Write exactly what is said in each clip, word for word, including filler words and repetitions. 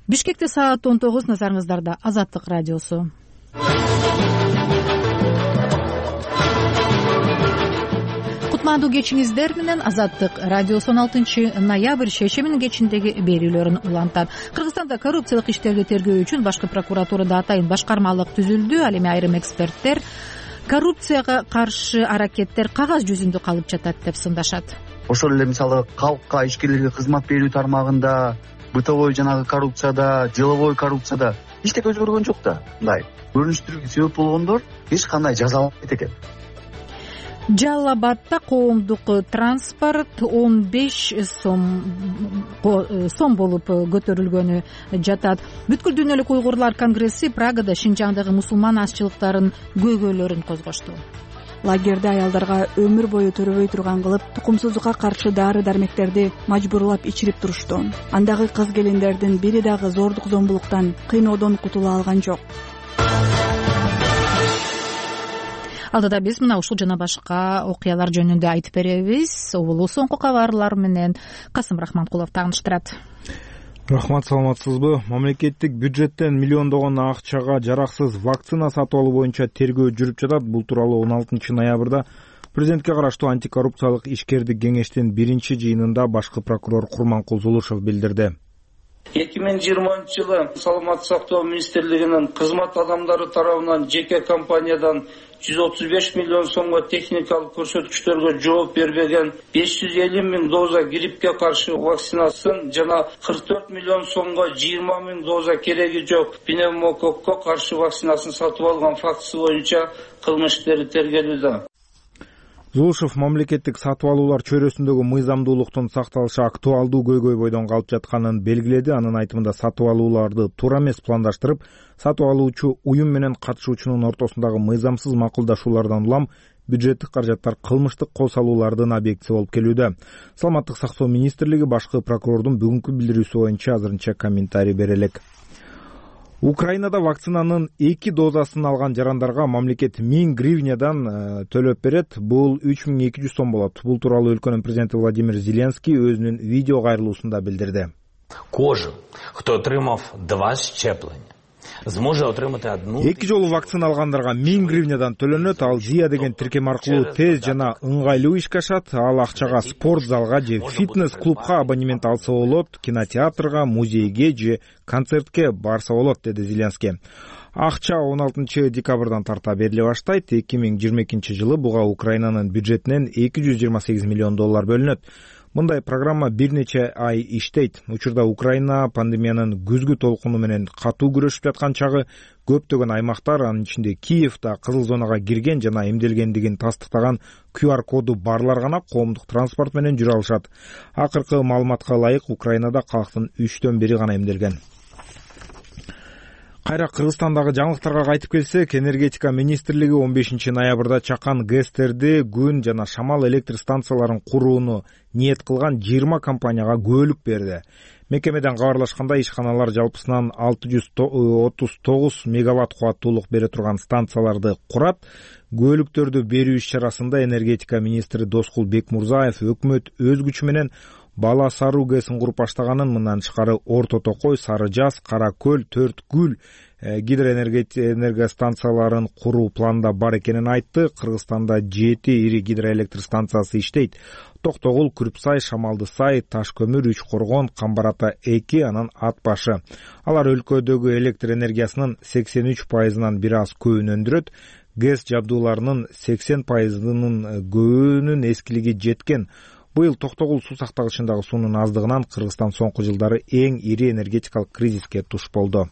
Бишкекте саат он тогуз, назарыңыздарда Азаттык радиосу. Кутмандуу кечиңиздер менен Азаттык радиосу он алтынчы ноябрь шейшембинин кечиндеги берүүлөрүн улантат. Кыргызстанда коррупциялык иштерди тергөө үчүн башкы прокуратурада атайын башкармалык түзүлдү. Ал эми айрым эксперттер коррупцияга каршы аракеттер кагаз жүзүндө калып жатат деп сындашат. Ошол эле мисалы калкка, ишкерлерге кызмат берүү тармагында, бытовой жанагы коррупцияда, деловой коррупцияда эчтеке өзгөргөн жок да. Мындай көрүнүштөргө себеп болгондор эч кандай жазаланбайт экен. Жалал Абадта коомдук транспорт он беш сом сом болуп көтөрүлгөнү жатат. Бүткүл дүйнөлүк уйгурлар конгресси Прагада Шинжаңдагы мусулман азчылыктарын көйгөйлөрүн козгошту. Лагерде аялдарга өмүр бою төрөбөй турган кылып, тукумсуздукка каршы дары-дармектерди мажбурлап ичирип турушту. Андагы кыз-келиндердин бири дагы зордук зомбулуктан, кыйноодон кутула алган жок. Алдыда биз мына ушул жана башка окуялар жөнүндө айтып беребиз. Улуу соңку кабарлар менен Касым Рахманкулов тааныштырат. Рахмат, саламатсызбы? Мамлекеттик бюджеттен миллиондогон акчага жараксыз вакцина сатып алуу боюнча тергөө жүрүп жатат. Бул тууралуу он алтынчы ноябрда президентке караштуу антикоррупциялык ишкердик кеңештин биринчи жыйынында башкы прокурор Курманкул Зулушев билдирди. эки миң жыйырманчы жылы Саламаттык сактоо министрлигинин кызмат адамдары тарабынан жеке компаниядан жүз отуз беш миллион сомго техникалык көрсөткүчтөргө жооп бербеген беш жүз элүү миң доза гриппке каршы вакцинасын жана кырк төрт миллион сомго жыйырма миң доза кереги жок пневмококко каршы вакцинасын сатып алган фактысы боюнча кылмыш иштери тергелүүдө. Зулушев мамлекеттик сатып алуулар чөйрөсүндөгү мыйзамдуулуктун сакталышы актуалдуу көйгөй бойдон калып жатканын белгиледи. Анын айтымында сатып алууларды туура эмес пландаштырып, сатып алуучу уюм менен катышуучунун ортосундагы мыйзамсыз макулдашуулардан улам бюджеттик каражаттар кылмыштык кол салуулардын объектиси болуп келүүдө. Саламаттык сактоо министрлиги башкы прокурордун бүгүнкү билдирүүсү боюнча азырынча комментарий бере элек. Украинада вакцинанын эки дозасын алган жарандарга мамлекет миң гривнядан төлөп берет. Бул үч миң эки жүз сом болот. Бул тууралуу өлкөнүн президенти Владимир Зеленский өзүнүн видео кайрылуусунда билдирди. Кожен, хто отримав два щеплення, зможе отримати одну. Эки жолу вакцина алгандарга миң гривнядан төлөнөт. Ал Зия деген тиркем аркылуу тез жана ыңгайлуу ишке ашат. Ал акчага спорт залга же фитнес клубка абонемент алса болот, кинотеатрга, музейге же концертке барса болот, деди Зеленский. Акча он алтынчы декабрдан тарта бериле баштайт. эки миң жыйырма экинчи жылы буга Украинанын бюджетинен эки жүз жыйырма сегиз миллион доллар бөлүнөт. Мындай программа бир нече ай иштейт. Учурда Украина пандемиянын күзгү толкуну менен катуу күрөшүп жаткан чагы көптөгөн аймактар, анын ичинде Киев да кызыл зонага кирген жана эмделгендигин тастыктаган ку ар коду барлар гана коомдук транспорт менен жүрө алышат. Акыркы маалыматка ылайык Украинада калктын үчтөн бири гана эмделген. Кайра Кыргызстандагы жаңылыктарга кайтып келсек, энергетика министрлиги он бешинчи ноябрда чакан ГЭСтерди, күн жана шамал электр станцияларын курууну ниет кылган жыйырма компанияга көөлүк берди. Мекемеден кабарлашканда, ишканалар жалпысынан алты жүз отуз тогуз мегаватт кубаттуулук бере турган станцияларды курат. Көөлүктөрдү берүү иш-чарасында энергетика министри Доскул Бекмурзаев өкмөт өз күчү менен Бала Саруу ГЭСин куруп баштаганын, мындан тышкары Орто Токой, Сары Жаз, Кара Көл, Төрт Гүл гидроэнергия станцияларын куруу планда бар экенин айтты. Кыргызстанда жети ири гидроэлектр станциясы иштейт. Токтогул, Күрүпсай, Шамалды Сай, Таш көмүр, Үч Коргон, Камбар Ата эки, анан Ат башы. Алар өлкөдөгү электр энергиясынын сексен үч пайызынан бир аз көбүн өндүрөт. ГЭС жабдууларынын сексен пайызынын көбүнүн эскилиги жеткен. Быйыл Токтогул суу сактагычындагы суунун аздыгынан Кыргызстан соңку жылдары эң ири энергетикалык кризиске туш болду.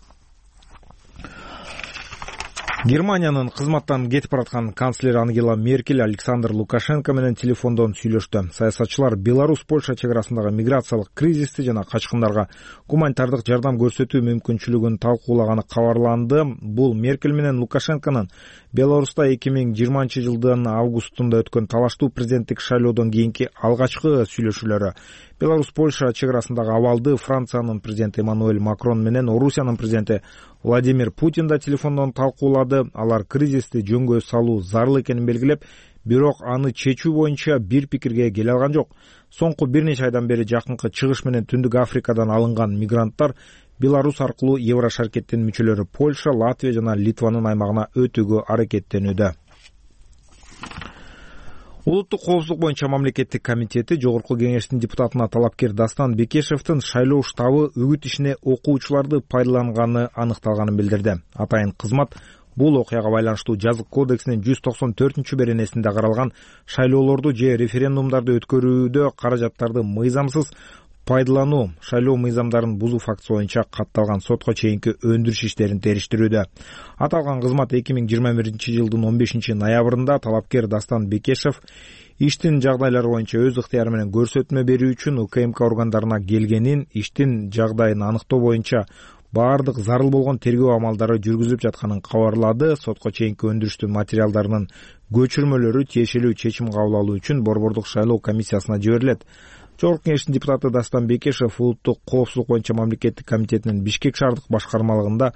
Германиянын кызматтан кетип бараткан канцлер Ангела Меркель Александр Лукашенко менен телефондон сүйлөштү. Саясатчылар Беларусь-Польша чек арасындагы миграциялык кризисти жана качкындарга гуманитардык жардам көрсөтүү мүмкүнчүлүгүн талкуулаганы кабарланды. Бул Меркель менен Лукашенконун Беларуста эки миң жыйырманчы жылдын августунда өткөн талаштуу президенттик шайлоодон кийинки алгачкы сүйлөшүүлөрү. Беларусь-Польша чек арасындагы абалды Франциянын президенти Эммануэль Макрон менен Орусиянын президенти Владимир Путин да телефондон талкуулады. Алар кризисти жөнгө салуу зарыл экенин белгилеп, бирок аны чечүү боюнча бир пикирге келе алган жок. Соңку бир нече айдан бери жакынкы чыгыш менен Түндүк Африкадан алынган мигранттар Беларусь аркылуу Еврошаркеттин мүчөлөрү Польша, Латвия жана Литванын аймагына өтүүгө аракеттенүүдө. Улуттук коопсуздук боюнча мамлекеттик комитети Жогорку кеңештин депутатына талапкер Дастан Бекешевдин шайлоо штабы үгүт ишине окуучуларды пайдаланганы аныкталганын билдирди. Атайын кызмат бул окуяга байланыштуу жазык кодексинин жүз токсон төртүнчү беренесинде каралган шайлоолорду же референдумдарды өткөрүүдө каражаттарды мыйзамсыз пайдалануу, шайлоо мыйзамдарын бузуу фактысы боюнча катталган сотко чейинки өндүрүш иштерин териштирүүдө. Аталган кызмат эки миң жыйырма биринчи жылдын он бешинчи ноябрында талапкер Дастан Бекешев иштин жагдайлары боюнча өз ыктыяры менен көрсөтмө берүү үчүн УКМК органдарына келгенин, иштин жагдайын аныктоо боюнча баардык зарыл болгон тергөө амалдары жүргүзүлүп жатканын кабарлады. Сотко чейинки өндүрүштүн материалдарынын көчүрмөлөрү тиешелүү чечим кабыл алуу үчүн Борбордук шайлоо комиссиясына жиберилет. Жогорку кеңештин депутаты Дастан Бекешев улуттук коопсуздук боюнча мамлекеттик комитетинин Бишкек шаардык башкармалыгында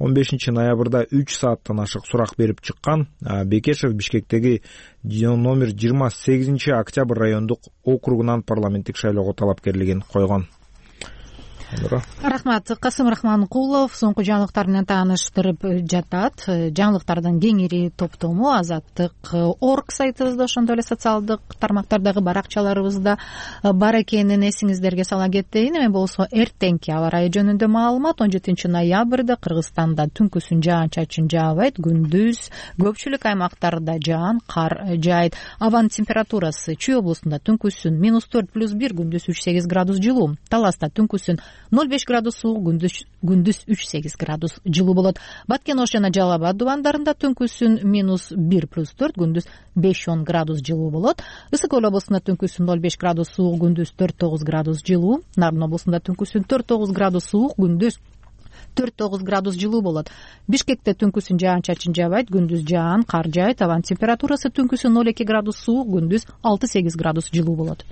он бешинчи ноябрда үч сааттан ашык сурак берип чыккан. Бекешев Бишкектеги номер жыйырма сегизинчи октябрь райондук округунан парламенттик шайлоого талапкерлигин койгон. Рахмат. Касым Рахманкулов соңку жаңылыктар менен тааныштырып жатат. Жаңылыктардын кеңири топтому Азаттык точка орг сайтыбызда, ошондой эле социалдык тармактардагы баракчаларыбызда бар экенин эсиңиздерге сала кетейин. Эми болсо эртеңки аба ырайы жөнүндө маалымат. он жетинчи ноябрда Кыргызстанда түнкүсүн жаан-чачын жаабайт, күндүз көпчүлүк аймактарда жаан, кар жаайт. Абанын температурасы Чүй облусунда түнкүсүн минус төрт плюс бир, күндүз үч сегиз градус жылуу. Таласта түнкүсүн ноль беш градус суук, күндүз күндүз үч сегиз градус жылуу болот. Баткен Ош жана Жалал Абад дубандарында түнкүсүн минус бир плюс төрт, күндүз беш он градус жылуу болот. Ысык Көл облусунда түнкүсүн ноль беш градус суук, күндүз төрт тогуз градус жылуу. Нарын облусунда түнкүсүн төрт тогуз градус суук, күндүз төрт тогуз градус жылуу болот. Бишкекте түнкүсүн жаан-чачын жаабайт, күндүз жаан, кар жаайт. Абанын температурасы түнкүсүн ноль эки градус суук, күндүз алты сегиз градус жылуу болот.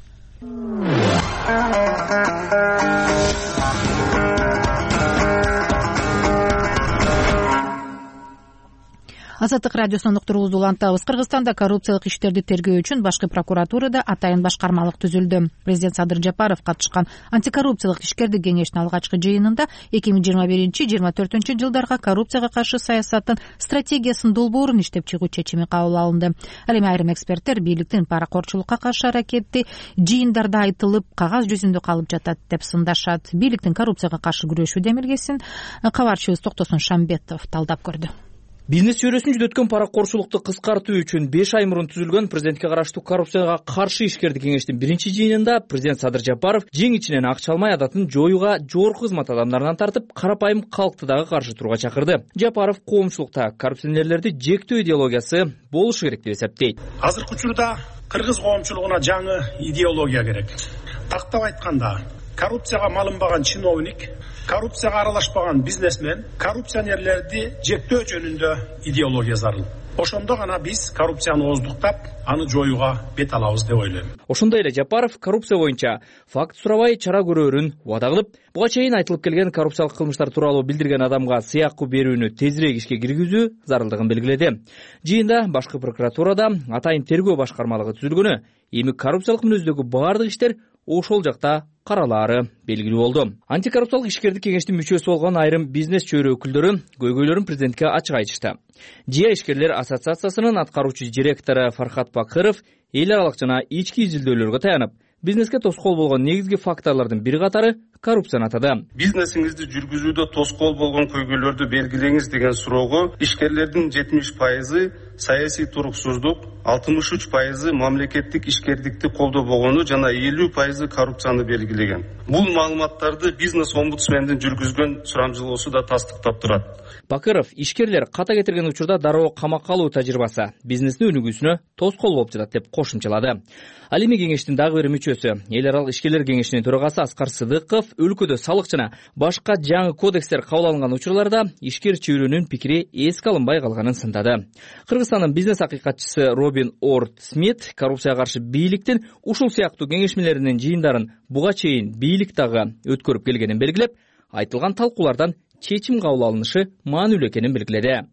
Азаттык радиосунун уктуруубузду улантабыз. Кыргызстанда коррупциялык иштерди тергөө үчүн башкы прокуратурада атайын башкармалык түзүлдү. Президент Садыр Жапаров катышкан антикоррупциялык ишкердик кеңештин алгачкы жыйынында эки миң жыйырма биринчи жыйырма төртүнчү жылдарга коррупцияга каршы саясаттын стратегиясынын долбоорун иштеп чыгуу чечими кабыл алынды. Ал эми айрым эксперттер бийликтин паракорчулукка каршы аракети жыйындарда айтылып, кагаз жүзүндө калып жатат деп сындашат. Бийликтин коррупцияга каршы күрөшүү демилгесин кабарчыбыз Токтосун Шамбетов талдап көрдү. Бизнес чөйрөсүн жүзөткөн паракорчулукту кыскартуу үчүн беш ай мурун түзүлгөн президентке караштуу коррупцияга каршы ишкердик кеңештин биринчи жыйынында президент Садыр Жапаров жең ичинен акча алмай адатын жоюуга жогорку кызмат адамдарынан тартып, карапайым калкты дагы каршы турууга чакырды. Жапаров коомчулукта коррупционерлерди жектөө идеологиясы болушу керек деп эсептейт. Азыркы учурда кыргыз коомчулугуна жаңы идеология керек. Тактап айтканда, коррупцияга малынбаган чиновник, коррупцияга аралашпаган бизнесмен, коррупционерлерди жектөө жөнүндө идеология зарыл. Ошондо гана биз коррупцияны ооздуктап, аны жоюуга бет алабыз деп ойлойм. Ошондой эле Жапаров коррупция боюнча факт сурабай чара көрөөрүн убада кылып, буга чейин айтылып келген коррупциялык кылмыштар тууралуу билдирген адамга сыйакы берүүнү тезирээк ишке киргизүү зарылдыгын белгиледи. Жыйында башкы прокуратурада атайын тергөө башкармалыгы түзүлгөнү, эми коррупциялык мүнөздөгү баардык иштер ошол жакта каралаары белгилүү болду. Антикоррупциялык ишкердик кеңештин мүчөсү болгон айрым бизнес чөйрө өкүлдөрү көйгөйлөрүн президентке ачык айтышты. Жия ишкерлер ассоциациясынын аткаруучу директору Фархат Бакыров эл аралык жана ички изилдөөлөргө таянып, бизнеске тоскоол болгон негизги факторлордун бир катары коррупцияны атады. Бизнесиңизди жүргүзүүдө тоскоол болгон көйгөйлөрдү белгилеңиз деген суроого ишкерлердин жетимиш пайызы саясий туруксуздук, алтымыш үч пайызы мамлекеттик ишкердикти колдобогону жана элүү пайызы коррупцияны белгилеген. Бул маалыматтарды бизнес омбудсмендин жүргүзгөн сурамжылоосу да тастыктап турат. Бакыров ишкерлер ката кетирген учурда дароо камакка алуу тажрыйбасы бизнестин өнүгүүсүнө тоскоол болуп жатат деп кошумчалады. Ал эми кеңештин дагы бир мүчөсү, эл аралык ишкерлер кеңешинин төрагасы Аскар Сыдыков өлкөдө салык жана башка жаңы кодекстер кабыл алынган учурларда ишкер чөйрөнүн пикири эске алынбай калганын сындады. Кыргызстандын бизнес акыйкатчысы Робин Орд Смит коррупцияга каршы бийликтин ушул сыяктуу кеңешмелеринин жыйындарын буга чейин бийлик дагы өткөрүп келгенин белгилеп, айтылган талкуулардан чечим кабыл алынышы маанилүү экенин белгиледи.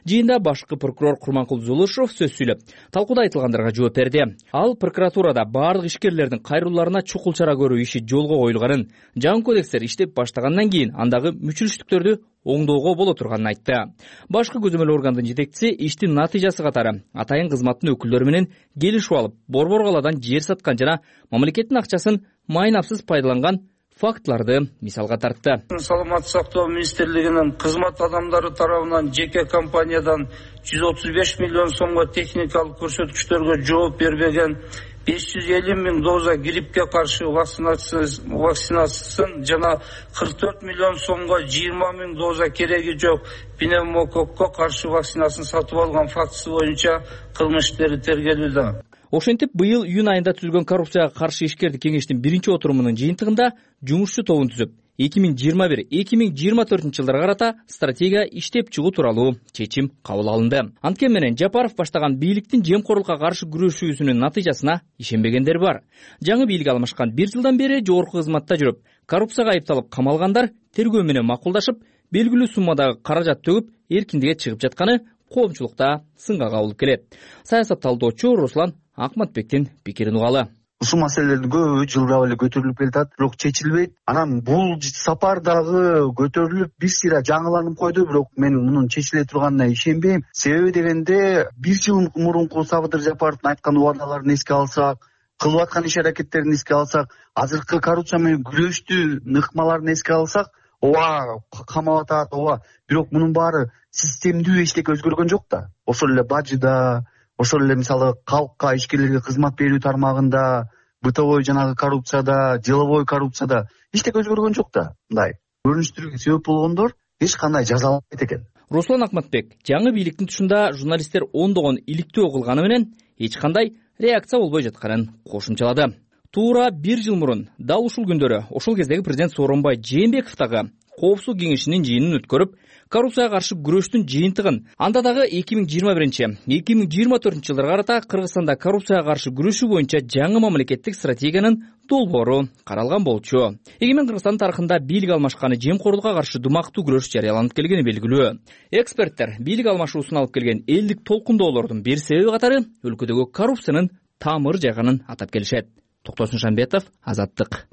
Жыйында башкы прокурор Курманкул Зулушев сөз сүйлөп, талкууда айтылгандарга жооп берди. Ал прокуратурада баардык ишкерлердин кайрылууларына чукул чара көрүү иши жолго коюлганын, жаңы кодекстер иштеп баштагандан кийин андагы мүчүлүштүктөрдү оңдоого боло турганын айтты. Башкы көзөмөл органдын жетекчиси иштин натыйжасы катары атайын кызматтын өкүлдөрү менен келишип алып, борбор каладан жер саткан жана мамлекеттин акчасын майнапсыз пайдаланган фактларды мисалга тартты. Саламаттык сактоо министрлигинин кызмат адамдары тарабынан жеке компаниядан жүз отуз беш миллион сомго техникалык көрсөткүчтөргө жооп бербеген беш жүз элүү миң доза гриппке каршы вакцинациясын жана кырк төрт миллион сомго жыйырма миң доза кереги жок пневмококко каршы вакцинасын сатып алган фактысы боюнча кылмыш иштери тергелүүдө. Ошентип, быйыл июнь айында түзүлгөн коррупцияга каршы ишкерди кеңештин биринчи отурумунун жыйынтыгында жумушчу тобун түзүп, эки миң жыйырма бир эки миң жыйырма төртүнчү жылдарга карата стратегия иштеп чыгуу тууралуу чечим кабыл алынды. Анткени менен Жапаров баштаган бийликтин жемкорлукка каршы күрөшүүсүнүн натыйжасына ишенбегендер бар. Жаңы бийлик алмашкан бир жылдан бери жогорку кызматта жүрүп, коррупцияга айыпталып камалгандар тергөө менен макулдашып, белгилүү суммадагы каражат төгүп, эркиндикке чыгып жатканы коомчулукта сынга кабылып келет. Саясат талдоочу Руслан Акматбектин пикирин угалы. Ушул маселелердин көбү жылдап эле көтөрүлүп келатат, бирок чечилбейт. Анан бул сапар дагы көтөрүлүп бир сыйра жаңыланып койду, бирок мен мунун чечиле турганына ишенбейм. Себеби дегенде бир жыл мурунку Сабытыр Жапаровдун айткан убадаларын эске алсак, кылып аткан иш аракеттерин эске алсак, азыркы коррупция менен күрөштү ыкмаларын эске алсак, ооба камап атат, ооба, бирок мунун баары системдүү эчтеке өзгөргөн жок да. Ошол эле бажыда, ошол эле мисалы калкка, ишкерлерге кызмат берүү тармагында, бытовой жанагы коррупцияда, деловой коррупцияда эчтеке өзгөргөн жок да. Мындай көрүнүштөргө себеп болгондор эч кандай жазаланбайт экен. Руслан Акматбек жаңы бийликтин тушунда журналисттер ондогон иликтөө кылганы менен эч кандай реакция болбой жатканын кошумчалады. Туура бир жыл мурун дал ушул күндөрү ошол кездеги президент Сооронбай Жээнбеков дагы Коопсуздук кеңешинин жыйынын өткөрүп, коррупцияга каршы күрөштүн жыйынтыгын, анда дагы эки миң жыйырма биринчи эки миң жыйырма төртүнчү жылдарга карата Кыргызстанда коррупцияга каршы күрөшүү боюнча жаңы мамлекеттик стратегиянын долбоору каралган болчу. Эгемен Кыргызстан тарыхында бийлик алмашканы жемкорлукка каршы думактуу күрөш жарыяланып келгени белгилүү. Эксперттер бийлик алмашуусун алып келген элдик толкундоолордун бир себеби катары өлкөдөгү коррупциянын тамыр жайганын атап келишет. Токтосун Шамбетов, Азаттык.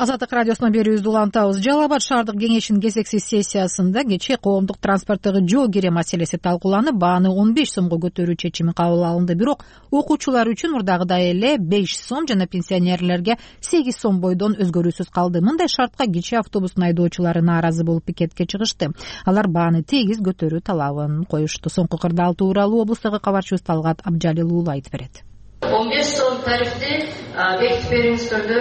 Азаттык радиосуна берүүбүздү улантабыз. Жалал Абад шаардык кеңешинин кезексиз сессиясында кечээ коомдук транспорттогу жол кире маселеси талкууланып, бааны он беш сомго көтөрүү чечими кабыл алынды. Бирок окуучулар үчүн мурдагыдай эле беш сом жана пенсионерлерге сегиз сом бойдон өзгөрүүсүз калды. Мындай шартка кичи автобустун айдоочулары нааразы болуп пикетке чыгышты. Алар бааны тегиз көтөрүү талабын коюшту. Соңку кырдаал тууралуу облустагы кабарчыбыз Талгат Абжалил уулу айтып берет. он беш сом тарифти бекитип бериңиздерди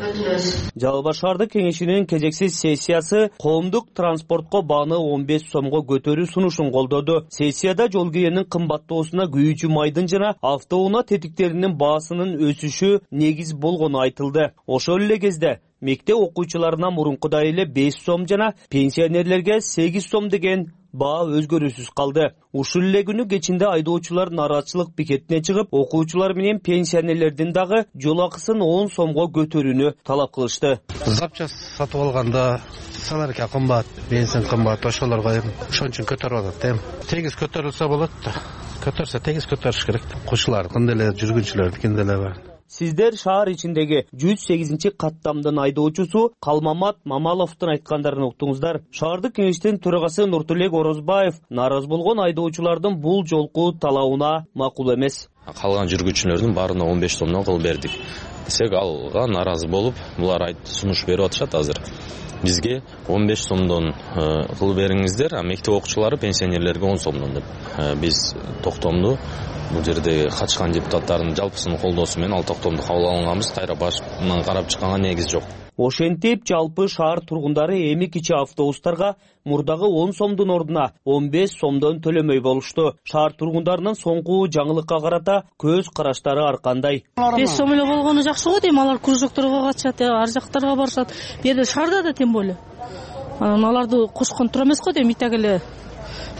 өтүнөбүз. Жалал Абад шаардык кеңешинин кезексиз сессиясы коомдук транспортко бааны он беш сомго көтөрүү сунушун колдоду. Сессияда жол киренин кымбаттоосуна күйүүчү майдын жана автоунаа тетиктеринин баасынын өсүшү негиз болгону айтылды. Ошол эле кезде мектеп окуучуларына мурункудай эле беш сом жана пенсионерлерге сегиз сом деген баа өзгөрүүсүз калды. Ушул эле күнү кечинде айдоочулар нааразычылык пикетине чыгып, окуучулар менен пенсионерлердин дагы жол акысын он сомго көтөрүүнү талап кылышты. Запчасть сатып алганда саларка кымбат, бензин кымбат, ошолорго эми ошон үчүн көтөрүп атат эми. Тегиз көтөрүлсө болот да. Көтөрсө тегиз көтөрүш керек. Окуучулардын деле, жүргүнчүлөрдүн деле бар. Сиздер шаар ичиндеги жүз сегизинчи каттамдын айдоочусу Калмамат Мамаловдун айткандарын уктуңуздар. Шаардык кеңештин төрагасы Нуртулек Орозбаев нааразы болгон айдоочулардын бул жолку талабына макул эмес. Калган жүргүнчүлөрдүн баарына он беш сомдон кыл бердик десек, алга нааразы болуп, булар айт сунуш берип атышат азыр. Бизге он беш сомдон кыл бериңиздер, а мектеп окуучулары пенсионерлерге он сомдон деп. Биз токтомду бул жерде катышкан депутаттардын жалпысынын колдоосу менен ал токтомду кабыл алганбыз. Тайра башынан карап чыкканга негиз жок. Ошентип, жалпы шаар тургундары эми кичи автобустарга мурдагы он сомдун ордуна он беш сомдон төлөмөй болушту. Шаар тургундарынын соңку жаңылыкка карата көз караштары ар кандай? беш сом эле болгону жакшы го дейм. Алар кружокторго катышат, ар жактарга барышат. Бу жерде шаарда да тем более. Аларды кошкон тура эмес го дейм. Итак эле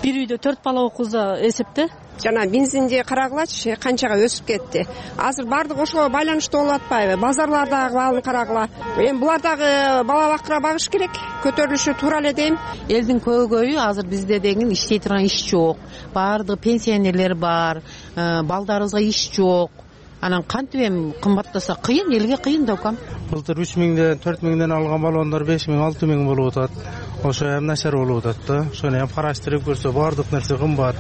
бир үйдө төрт бала окуса эсепте. Жана бензинди карагылачы канчага өсүп кетти. Азыр баардык ошого байланыштуу болуп атпайбы? Базарлардагы баалын карагыла. Эми булар дагы бала бакыра багыш керек. Көтөрүлүшү туура эле дейм. Элдин көйгөйү азыр бизде деген иштей турган иш жок. Баардык пенсионерлер бар, балдарыбызга иш жок. Анан кантип эми кымбаттаса кыйын, элге кыйын да укам. Былтыр үч миңден төрт миңден алган баллондар беш миң алты миң болуп атат. Ошо эми начар болуп атат да. Ошону эми караштырып көрсө баардык нерсе кымбат.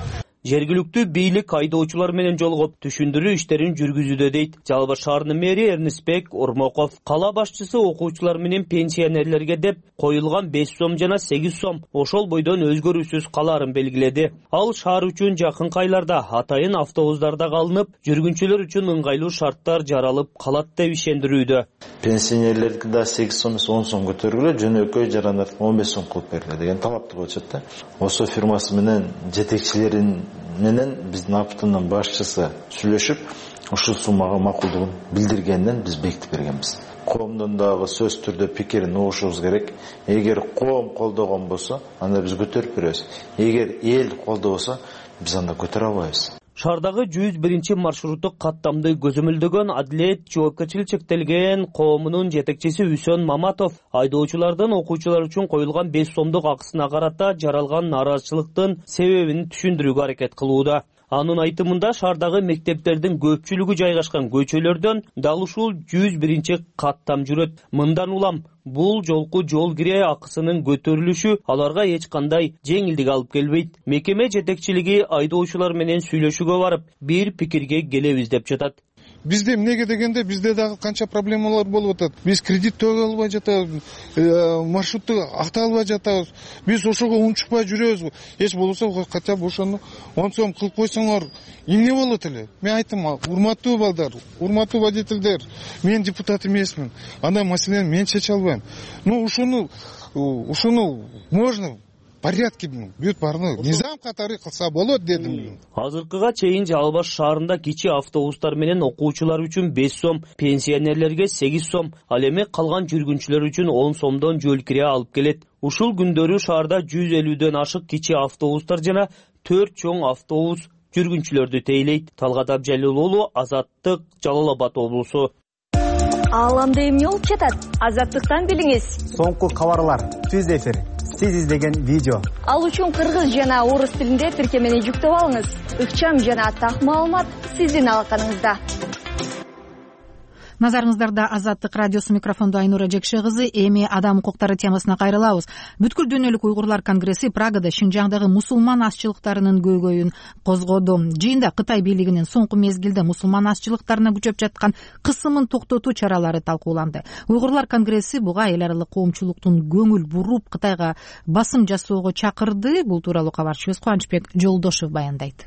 Жергиликтүү бийлик айдоочулар менен жолугуп түшүндүрүү иштерин жүргүзүүдө дейт Жалал Абад шаарынын мэри Эрнисбек Ормоков. Кала башчысы окуучулар менен пенсионерлерге деп коюлган беш сом жана сегиз сом ошол бойдон өзгөрүүсүз калаарын белгиледи. Ал шаар үчүн жакынкы айларда атайын автобустарда калынып, жүргүнчүлөр үчүн ыңгайлуу шарттар жаралып калат деп ишендирүүдө. Пенсионерлерге да сегиз сом он сом көтөрүлгөн, жөнөкөй жарандар он беш сом кылып берилет деген талапты болчу да. Осо фирмасы менен жетекчилерин менен биздин аптынын башчысы сүйлөшүп, ушул суммага макулдугун билдиргенден биз бекитип бергенбиз. Коомдун дагы сөз түрдө пикирин угушубуз керек. Эгер коом колдогон болсо, анда биз көтөрүп беребиз. Эгер эл колдобосо, биз анда көтөрө албайбыз. Шаардагы жүз биринчи маршруттук каттамды көзөмөлдөгөн Адилет жоопкерчилиги чектелген коомунун жетекчиси Үсөн Маматов айдоочулардын окуучулар үчүн коюлган беш сомдук акысына карата жаралган нааразычылыктын себебин түшүндүрүүгө аракет кылууда. Анын айтымында шаардагы мектептердин көпчүлүгү жайгашкан көчөлөрдөн дал ушул жүз биринчи каттам жүрөт. Мындан улам бул жолку жол кире акысынын көтөрүлүшү аларга эч кандай жеңилдик алып келбейт. Мекеме жетекчилиги айдоочулар менен сүйлөшүүгө барып, бир пикирге келебиз деп жатат. Бизде эмнеге дегенде бизде дагы канча проблемалар болуп атат. Биз кредит төлөй албай жатабыз, маршрутты актай албай жатабыз. Биз ошого унчукпай жүрөбүз. Эч болбосо хотя бы ошону он сом кылып койсоңор эмне болот эле? Мен айттым, урматтуу балдар, урматтуу водительдер, мен депутат эмесмин. Андай маселени мен чече албайм. Но ушуну ушуну можно порядке бүт баарына низам катары кылса болот дедим. Азыркыга чейин Жалал Абад шаарында кичи автобустар менен окуучулар үчүн беш сом, пенсионерлерге сегиз сом, ал эми калган жүргүнчүлөр үчүн он сомдон жол кире алып келет. Ушул күндөрү шаарда жүз элүүдөн ашык кичи автобустар жана төрт чоң автобус жүргүнчүлөрдү тейлейт. Талгат Абжалил уулу, Азаттык, Жалал Абад облусу. Ааламда эмне болуп жатат? Азаттыктан билиңиз. Соңку кабарлар, түз эфир. Сиз издеген видео. Ал үчүн кыргыз жана орус тилинде тиркемени жүктөп алыңыз. Ыкчам жана так маалымат сиздин алаканыңызда. Назарыңыздарда Азаттык радиосу, микрофондо Айнура Жекше кызы. Эми адам укуктары темасына кайрылабыз. Бүткүл дүйнөлүк уйгурлар конгресси Прагада Шинжаңдагы мусулман азчылыктарынын көйгөйүн козгоду. Жыйында Кытай бийлигинин соңку мезгилде мусулман азчылыктарына күчөп жаткан кысымын токтотуу чаралары талкууланды. Уйгурлар конгресси буга эл аралык коомчулуктун көңүл буруп Кытайга басым жасоого чакырды. Бул тууралуу кабарчыбыз Кубанычбек Жолдошев баяндайт.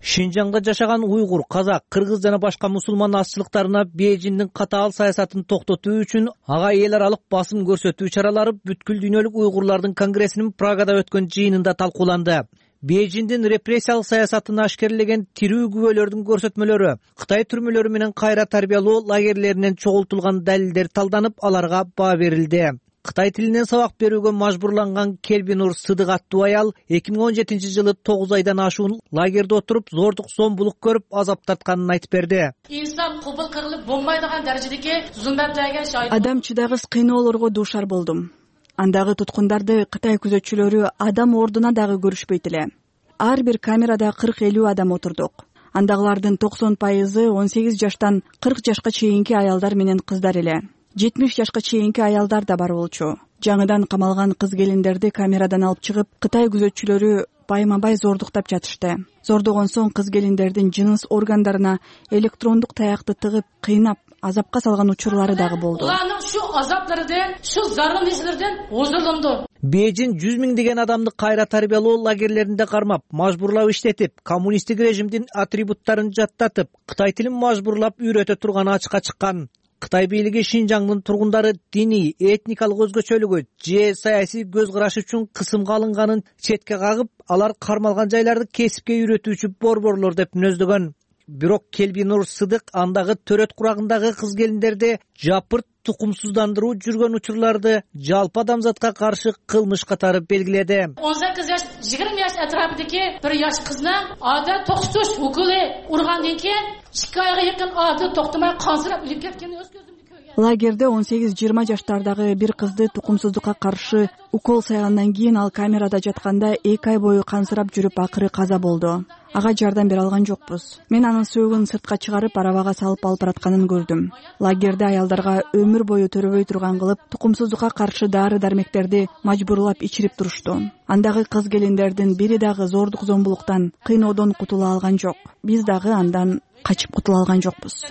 Шинжаңда жашаган уйгур, казак, кыргыз жана башка мусулман азчылыктарына Бейжиңдин катаал саясатын токтотуу үчүн ага эл аралык басым көрсөтүү чаралары бүткүл дүйнөлүк уйгурлардын конгрессинин Прагада өткөн жыйынында талкууланды. Бейжиңдин репрессиялык саясатын ашкерлеген тирүү күбөлөрдүн көрсөтмөлөрү, Кытай түрмөлөрү менен кайра тарбиялоо лагерлеринен чогултулган далилдер талданып, аларга баа берилди. Кытай тилинен сабак берүүгө мажбурланган Келбинур Сыдык аттуу аял эки миң он жетинчи жылы тогуз айдан ашуун лагерде отуруп, зордук зомбулук көрүп, азап тартканын айтып берди. Инсан кубул кырылып болмайдыган даражадагы зулматтарга шаһид. Адам чыдагыс кыйноолорго дуушар болдум. Андагы туткундарды Кытай күзөтчүлөрү адам ордуна дагы көрүшпөйт эле. Ар бир камерада кырк элүү адам отурдук. Андагылардын токсон пайызы он сегиз жаштан кырк жашка чейинки аялдар менен кыздар эле. жетимиш жашка чейинки аялдар да бар болчу. Жаңыдан камалган кыз келиндерди камерадан алып чыгып, Кытай күзөтчүлөрү байма-бай зордуктап жатышты. Зордогон соң кыз келиндердин жыныс органдарына электрондук таякты тыгып, кыйнап, азапка салган учурлары дагы болду. Уларнын шу азаплардан, шу заргын излерден озулунду. Бейжиң жүз миңдеген адамды кайра тарбиялоо лагерлеринде кармап, мажбурлап иштетип, коммунисттик режимдин атрибуттарын жаттатып, Кытай тилин мажбурлап үйрөтө турганы ачыкка чыккан. Кытай бийлиги Шинжаңдын тургундары диний, этникалык өзгөчөлүгү же саясий көз карашы үчүн кысымга алынганын четке кагып, алар кармалган жайларды кесипке үйрөтүүчү борборлор деп мүнөздөгөн. бирок Келбинур Сыдык андагы төрөт курагындагы кыз келиндерди жапырт тукумсуздандыруу жүргөн учурларды жалпы адамзатка каршы кылмыш катары белгиледи. он сегиз жаш жыйырма жаш атрафындагы бир жаш кызны ада токсуш укулы ургандан кийин эки айга жакын ада токтомой кансырап өлүп кеткени өз көзүмдө көргөн. Лагерде он сегиз жыйырма жаштардагы бир кызды тукумсуздукка каршы укол сайгандан кийин ал камерада жатканда эки ай бою кансырап жүрүп акыры каза болду. Ага жардам бере алган жокпуз. Мен анын сөөгүн сыртка чыгарып арабага салып алып баратканын көрдүм. Лагерде аялдарга өмүр бою төрөбөй турган кылып, тукумсуздукка каршы дары дармектерди мажбурлап ичирип турушту. Андагы кыз келиндердин бири дагы зордук зомбулуктан, кыйноодон кутула алган жок. Биз дагы андан качып кутула алган жокпуз.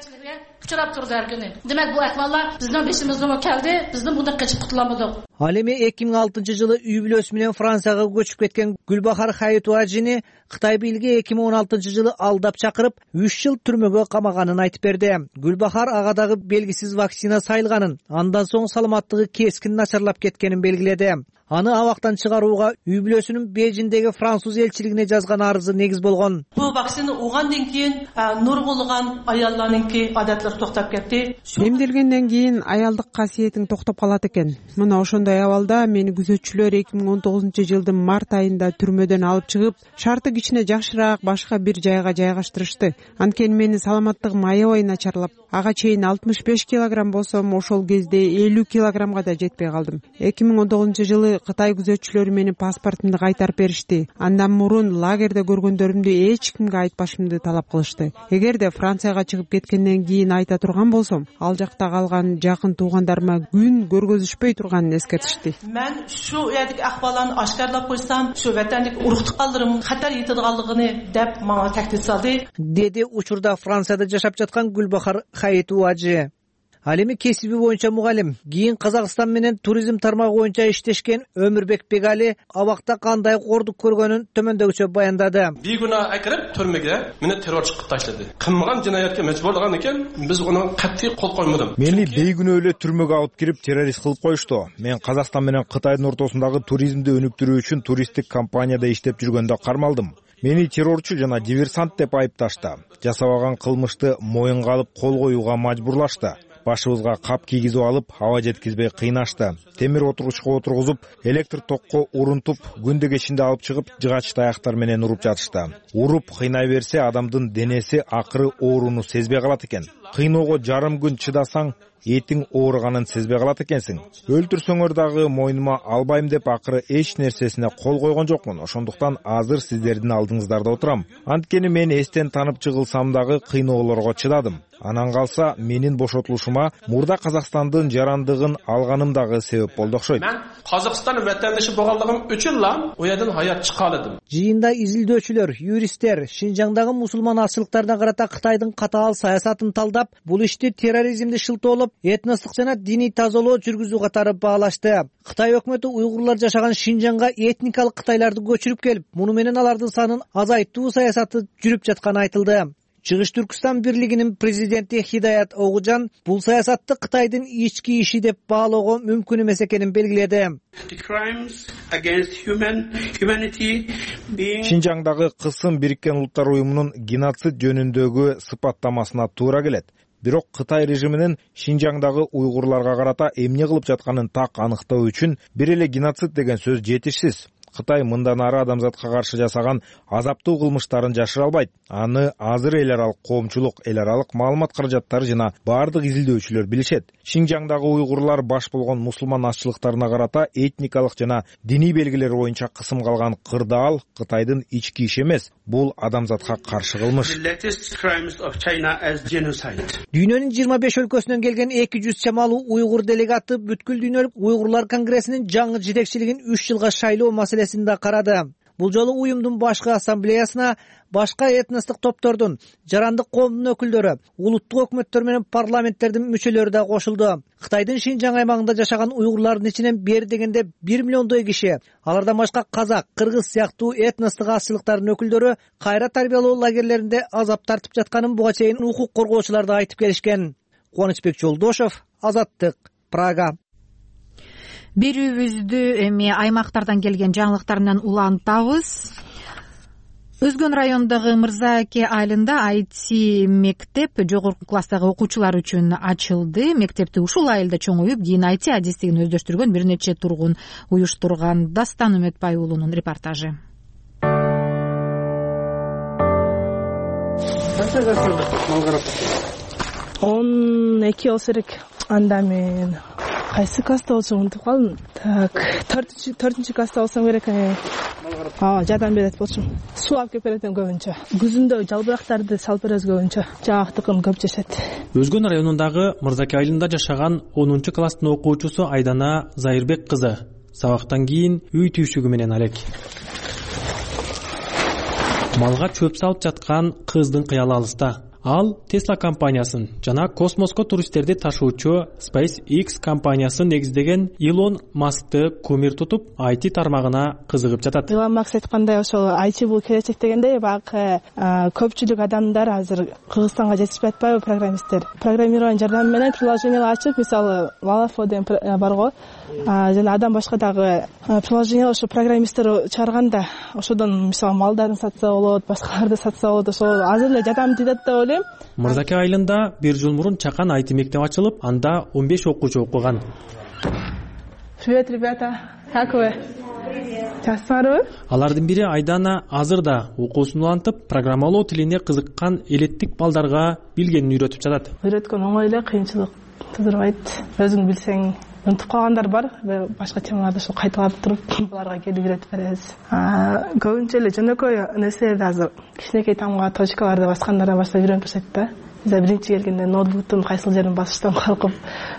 Учурап турду ар күнү. Демек бул акмаллар биздин бешимизге келди, биздин мындай качып кутуламадык. Ал эми эки миң алтынчы жылы үй бүлөсү менен Францияга көчүп кеткен Гүлбахар Хаитуажини Кытай бийлиги эки миң он алтынчы жылы алдап чакырып, үч жыл түрмөгө камаганын айтып берди. Гүлбахар ага дагы белгисиз вакцина сайылганын, андан соң саламаттыгы кескин начарлап кеткенин белгиледи. Аны абактан чыгарууга үй бүлөсүнүн Бейжиңдеги француз элчилигине жазган арызы негиз болгон. Бул вакцина угандан кийин нургулган аялларныңки адаттары токтоп кетти. Эмделгенден кийин аялдык касиетиң токтоп калат экен. Мына ошондой абалда мени күзөтчүлөр эки миң он тогузунчу жылдын март айында түрмөдөн алып чыгып, шарты кичине жакшыраак башка бир жайга жайгаштырышты. Анткени менин саламаттыгым аябай начарлап, ага чейин алтымыш беш килограмм болсом, ошол кезде элүү килограммга да жетпей калдым. эки миң он тогузунчу жылы Кытай күзөтчүлөрү менин паспортумду кайтарып беришти. Андан мурун лагерде көргөндөрүмдү эч кимге айтпашымды талап кылышты. Эгерде Францияга чыгып кеткенден кийин айта турган болсом, ал жакта калган жакын туугандарыма күн көргөзүшпөй турганын эскертишти. Мен şu yerдeki акбаланы ашкарлап койсам, şu ватандык уруктукаларым хатар етидиганлыгын деп мага тактид салды. Деди учурда Францияда жашап жаткан Гүлбахар Хаитуажи. Ал эми кесиби боюнча мугалим, кийин Казакстан менен туризм тармагы боюнча иштешкен Өмүрбек Бегали абакта кандай кордук көргөнүн төмөндөгүчө баяндады. Бигуна акырып түрмөгө мени террорчу кылып таштады. Кылмаган жинаятка мажбурлаган экен, биз аны катты кол коймодум. Мени бейгүнөө эле түрмөгө алып кирип террорист кылып коюшту. Мен Казакстан менен Кытайдын ортосундагы туризмди өнүктүрүү үчүн туристтик компанияда иштеп жүргөндө кармалдым. Мени террорчу жана диверсант деп айыпташты. Жасабаган кылмышты моюнга алып кол коюуга мажбурлашты. Башыбызга кап кийгизип алып, аба жеткизбей кыйнашты. Темир отургучка отургузуп, электр токко урунтуп, күндө кечинде алып чыгып, жыгач таяктар менен уруп жатышты. Уруп кыйнай берсе, адамдын денеси акыры ооруну сезбей калат экен. Кыйноого жарым күн чыдасаң, этиң ооруганын сезбей калат экенсиң. Өлтүрсөңөр дагы мойнума албайм деп акыры эч нерсесине кол койгон жокмун. Ошондуктан азыр сиздердин алдыңыздарда отурам. Анткени мен эстен танып чыгылсам дагы кыйноолорго чыдадым. Анан калса менин бошотулушума мурда Казакстандын жарандыгын алганым дагы себеп болду окшойт. Мен Казакстан ватандашы болгонлугум үчүн ла у жерден хаят чыга алдым. Жыйында изилдөөчүлөр, юристтер Шинжаңдагы мусулман азчылыктарына карата Кытайдын катаал саясатын талдап, бул ишти терроризмди шылтоолоп, этностук жана диний тазалоо жүргүзүү катары баалашты. Кытай өкмөтү уйгурлар жашаган Шинжаңга этникалык кытайларды көчүрүп келип, муну менен алардын санын азайтуу саясаты жүрүп жатканы айтылды. Чыгыш Түркстан бирлигинин президенти Хидаят Огужан бул саясатты Кытайдын ички иши деп баалоого мүмкүн эмес экенин белгиледи. Шинжаңдагы кысым Бириккен Улуттар уюмунун геноцид жөнүндөгү сыпаттамасына туура келет. Бирок Кытай режиминин Шинжаңдагы уйгурларга карата эмне кылып жатканын так аныктоо үчүн бир эле геноцид деген сөз жетишсиз. Кытай мындан ары адамзатка каршы жасаган азаптуу кылмыштарын жашыра албайт. Аны азыр эл аралык коомчулук, эл аралык маалымат каражаттары жана бардык изилдөөчүлөр билишет. Шинжаңдагы уйгурлар баш болгон мусулман азчылыктарына карата этникалык жана диний белгилер боюнча кысым калган кырдаал Кытайдын ички иши эмес, бул адамзатка каршы кылмыш. Дүйнөнүн жыйырма беш өлкөсүнөн келген эки жүз чамалуу уйгур делегаты бүткүл дүйнөлүк уйгурлар конгрессинин жаңы жетекчилигин үч жылга шайлоо маселесин да карады. Бул жолу уюмдун башкы ассамблеясына башка этностук топтордун, жарандык коомдун өкүлдөрү, улуттук өкмөттөр менен парламенттердин мүчөлөрү да кошулду. Кытайдын Шинжаң аймагында жашаган уйгурлардын ичинен бери дегенде бир миллиондой киши, алардан башка казак, кыргыз сыяктуу этностук азчылыктардын өкүлдөрү кайра тарбиялоо лагерлеринде азап тартып жатканын буга чейин укук коргоочулар да айтып келишкен. Кубанычбек Жолдошов, Азаттык, Прага. Берүүбүздү эми аймактардан келген жаңылыктар менен улантабыз. Өзгөн районундагы Мырзааке айылында ай ти мектеп жогорку класстагы окуучулар үчүн ачылды. Мектепти ушул айылда чоңоюп, кийин ай ти адистигин өздөштүргөн бир нече тургун уюштурган. Дастан Үмөтбай уулунун репортажы. он эки болсо керек. Анда мен кайсы класста болсом унутуп калдым. Так, төртүнчү класста болсом керек. Ооба, жардам берет болчумун. Суу алып келип берет көбүнчө. Күзүндө жалбырактарды салып беребиз көбүнчө. Жагактыкын көп жешет. Өзгөн районундагы Мырзаке айылында жашаган онунчу класстын окуучусу Айдана Зайырбек кызы сабактан кийин үй түйшүгү менен алек. Малга чөп салып жаткан кыздын кыялы алыста. Ал Tesla компаниясын жана космоско туристтерди ташуучу SpaceX компаниясын негиздеген Илон Маскты кумир тутуп, ай ти тармагына кызыгып жатат. Илон Маск айткандай, ошол ай ти бул келечек дегенде, багы көпчүлүк адамдар азыр Кыргызстанга жетишпей атпайбы, программисттер. Программирование жардамы менен приложениялар ачып, мисалы Valafo деген барго, жана адам башка дагы приложение ошо программисттер чыгарганда, ошодон мисалы малдарын сатса болот, башкаларды сатса болот, ошол азыр эле жардам тийет деп ойлойм. Мырзаке айылында бир жыл мурун чакан ай ти мектеп ачылып, анда он беш окуучу окуган. Привет, ребята. Как вы? Жақсыларбы? Алардын бири Айдана азыр да окуусун улантып, программалоо тилине кызыккан элеттик балдарга билгенин үйрөтүп жатат. Үйрөткөн оңой эле, кыйынчылык тудурбайт. Өзүң билсең, унутуп калгандар бар, башка темаларды ошо кайталап туруп, буларга келип үйрөтүп беребиз. Көбүнчө эле жөнөкөй нерселерди азыр кичинекей тамга точкаларды баскандардан баштап үйрөнүп беришет да. Биз биринчи келгенде ноутбуктун кайсыл жерин басыштан коркуп,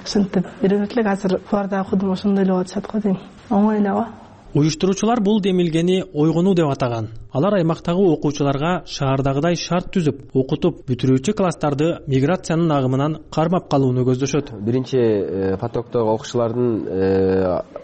ушинтип үйрөнүп элек, азыр буларда окудум, ошондой эле болуп жатат го дейм. Оңой эле го. Уюштуруучулар бул демилгени ойгонуу деп атаган. Алар аймактагы окуучуларга шаардагыдай шарт түзүп, окутуп, бүтүрүүчү класстарды миграциянын агымынан кармап калууну көздөшөт. Биринчи потоктогу окуучулардын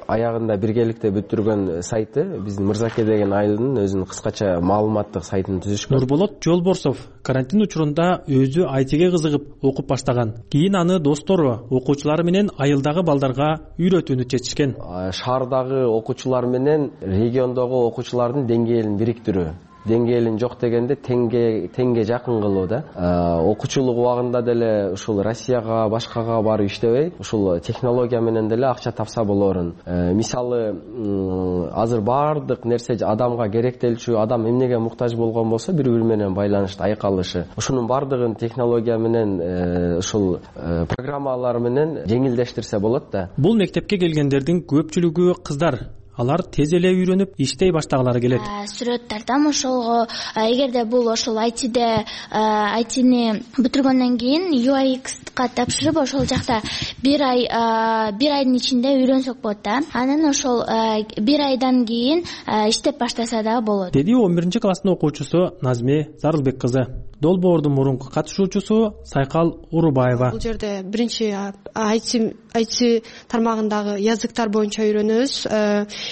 аягында биргеликте бүтүргөн сайты биздин Мырзаке деген айылдын өзүнүн кыскача маалыматтык сайтын түзүшкөн. Нурболот Жолборсов карантин учурунда өзү ай тиге кызыгып окуп баштаган. Кийин аны достору, окуучулары менен айылдагы балдарга үйрөтүүнү чечишкен. Шаардагы окуучулар менен региондогу окуучулардын деңгээлин бириктирүү. Деңгээлин жок дегенде теңге теңге жакын кылуу да. Окуучулук убагында деле ушул Россияга, башкага барып иштебей, ушул технология менен деле акча тапса болорун. Мисалы, азыр баардык нерсе адамга керектелчү, адам эмнеге муктаж болгон болсо, бири-бири менен байланышты айкалышы. Ушунун баардыгын технология менен, ушул программалар менен жеңилдештирсе болот да. Бул мектепке келгендердин көпчүлүгү кыздар. Алар тез эле үйрөнүп, иштей баштагылары келет. Сүрөт тартам ошолго. Эгерде бул ошол ай тиде ай тини бүтүргөндөн кийин ю ай икска тапшырып, ошол жакта бир ай бир айдын ичинде үйрөнсөк болот да. Анан ошол бир айдан кийин иштеп баштаса да болот. Деди он биринчи класстын окуучусу Назме Зарылбек кызы. Долбоордун мурунку катышуучусу Сайкал Урубаева. Бул жерде биринчи ай ти тармагындагы языктар боюнча үйрөнөбүз.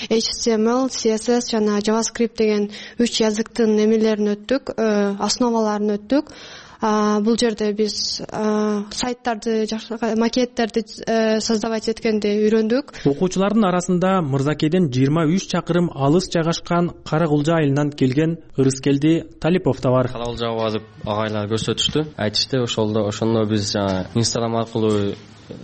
эйч ти эм эл, си эс эс жана JavaScript деген үч языктын эмелерин өттүк, основаларын өттүк. Бул жерде биз сайттарды, макеттерди создавать эткенди үйрөндүк. Окуучулардын арасында Мырзакеден жыйырма үч чакырым алыс жайгашкан Каракулжа айылынан келген Ырыскелди Талипов да бар. Каракулжага барып агайлар көрсөтүштү. Айтышты, ошолдо ошондо биз Инстаграм аркылуу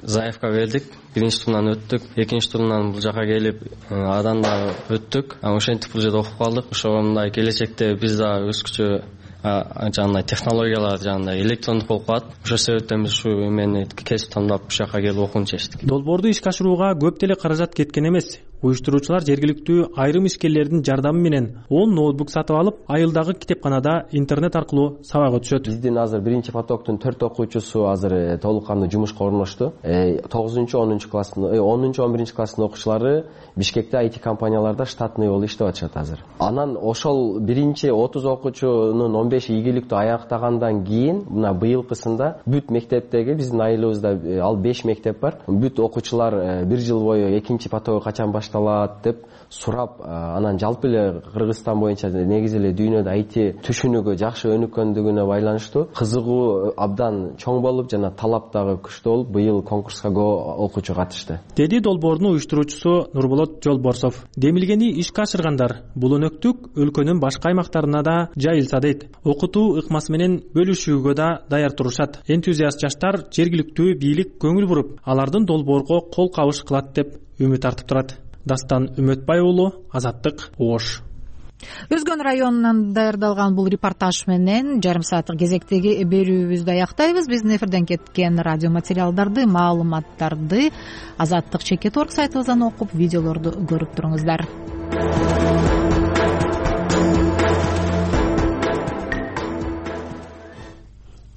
заявка бердик. Биринчи турунан өттүк, экинчи турунан бул жака келип адан да өттүк. Ошентип бул жерде окуп калдык. Ошондой келечекте биз да өскүчө жана технологиялар жана электрондук болуп калат. Ошол себептен биз ушу эмени кесип тандап ушул жака келип окууну чечтик. Долбоорду ишке ашырууга көп деле каражат кеткен эмес. Уюштуруучулар жергиликтүү айрым ишкерлердин жардамы менен он ноутбук сатып алып, айылдагы китепканада интернет аркылуу сабак өтүшөт. Биздин азыр биринчи потоктун төрт окуучусу азыр толук кандуу жумушка орношту. тогузунчу онунчу класстын, онунчу он биринчи класстын окуучулары Бишкекте ай ти компанияларда штатный болуп иштеп атышат азыр. Анан ошол биринчи отуз окуучунун он беши ийгиликтүү аяктагандан кийин, мына быйылкысында бүт мектептеги биздин айылыбызда ал беш мектеп бар. Бүт окуучулар бир жыл бою экинчи потогу качан башталат деп сурап, анан жалпы эле Кыргызстан боюнча негизи эле дүйнөдө ай ти түшүнүгү жакшы өнүккөндүгүнө байланыштуу кызыгуу абдан чоң болуп, жана талап дагы күчтүү болуп, быйыл конкурска көп окуучу катышты, деди долбоордун уюштуруучусу Нурболот Жолборсов. Демилгени ишке ашыргандар бул өнөктүк өлкөнүн башка аймактарына да жайылса дейт. Окутуу ыкмасы менен бөлүшүүгө да даяр турушат. Энтузиаст жаштар жергиликтүү бийлик көңүл буруп, алардын долбоорго кол кабыш кылат деп үмүт артып турат. Дастан Үмөтбай уулу, Азаттык, Ош. Өзгөн районунан даярдалган бул репортаж менен жарым сааттык кезектеги берүүбүздү аяктайбыз. Биздин эфирден кеткен радио материалдарды, маалыматтарды Азаттык чекит точка орг сайтыбыздан окуп, видеолорду көрүп туруңуздар.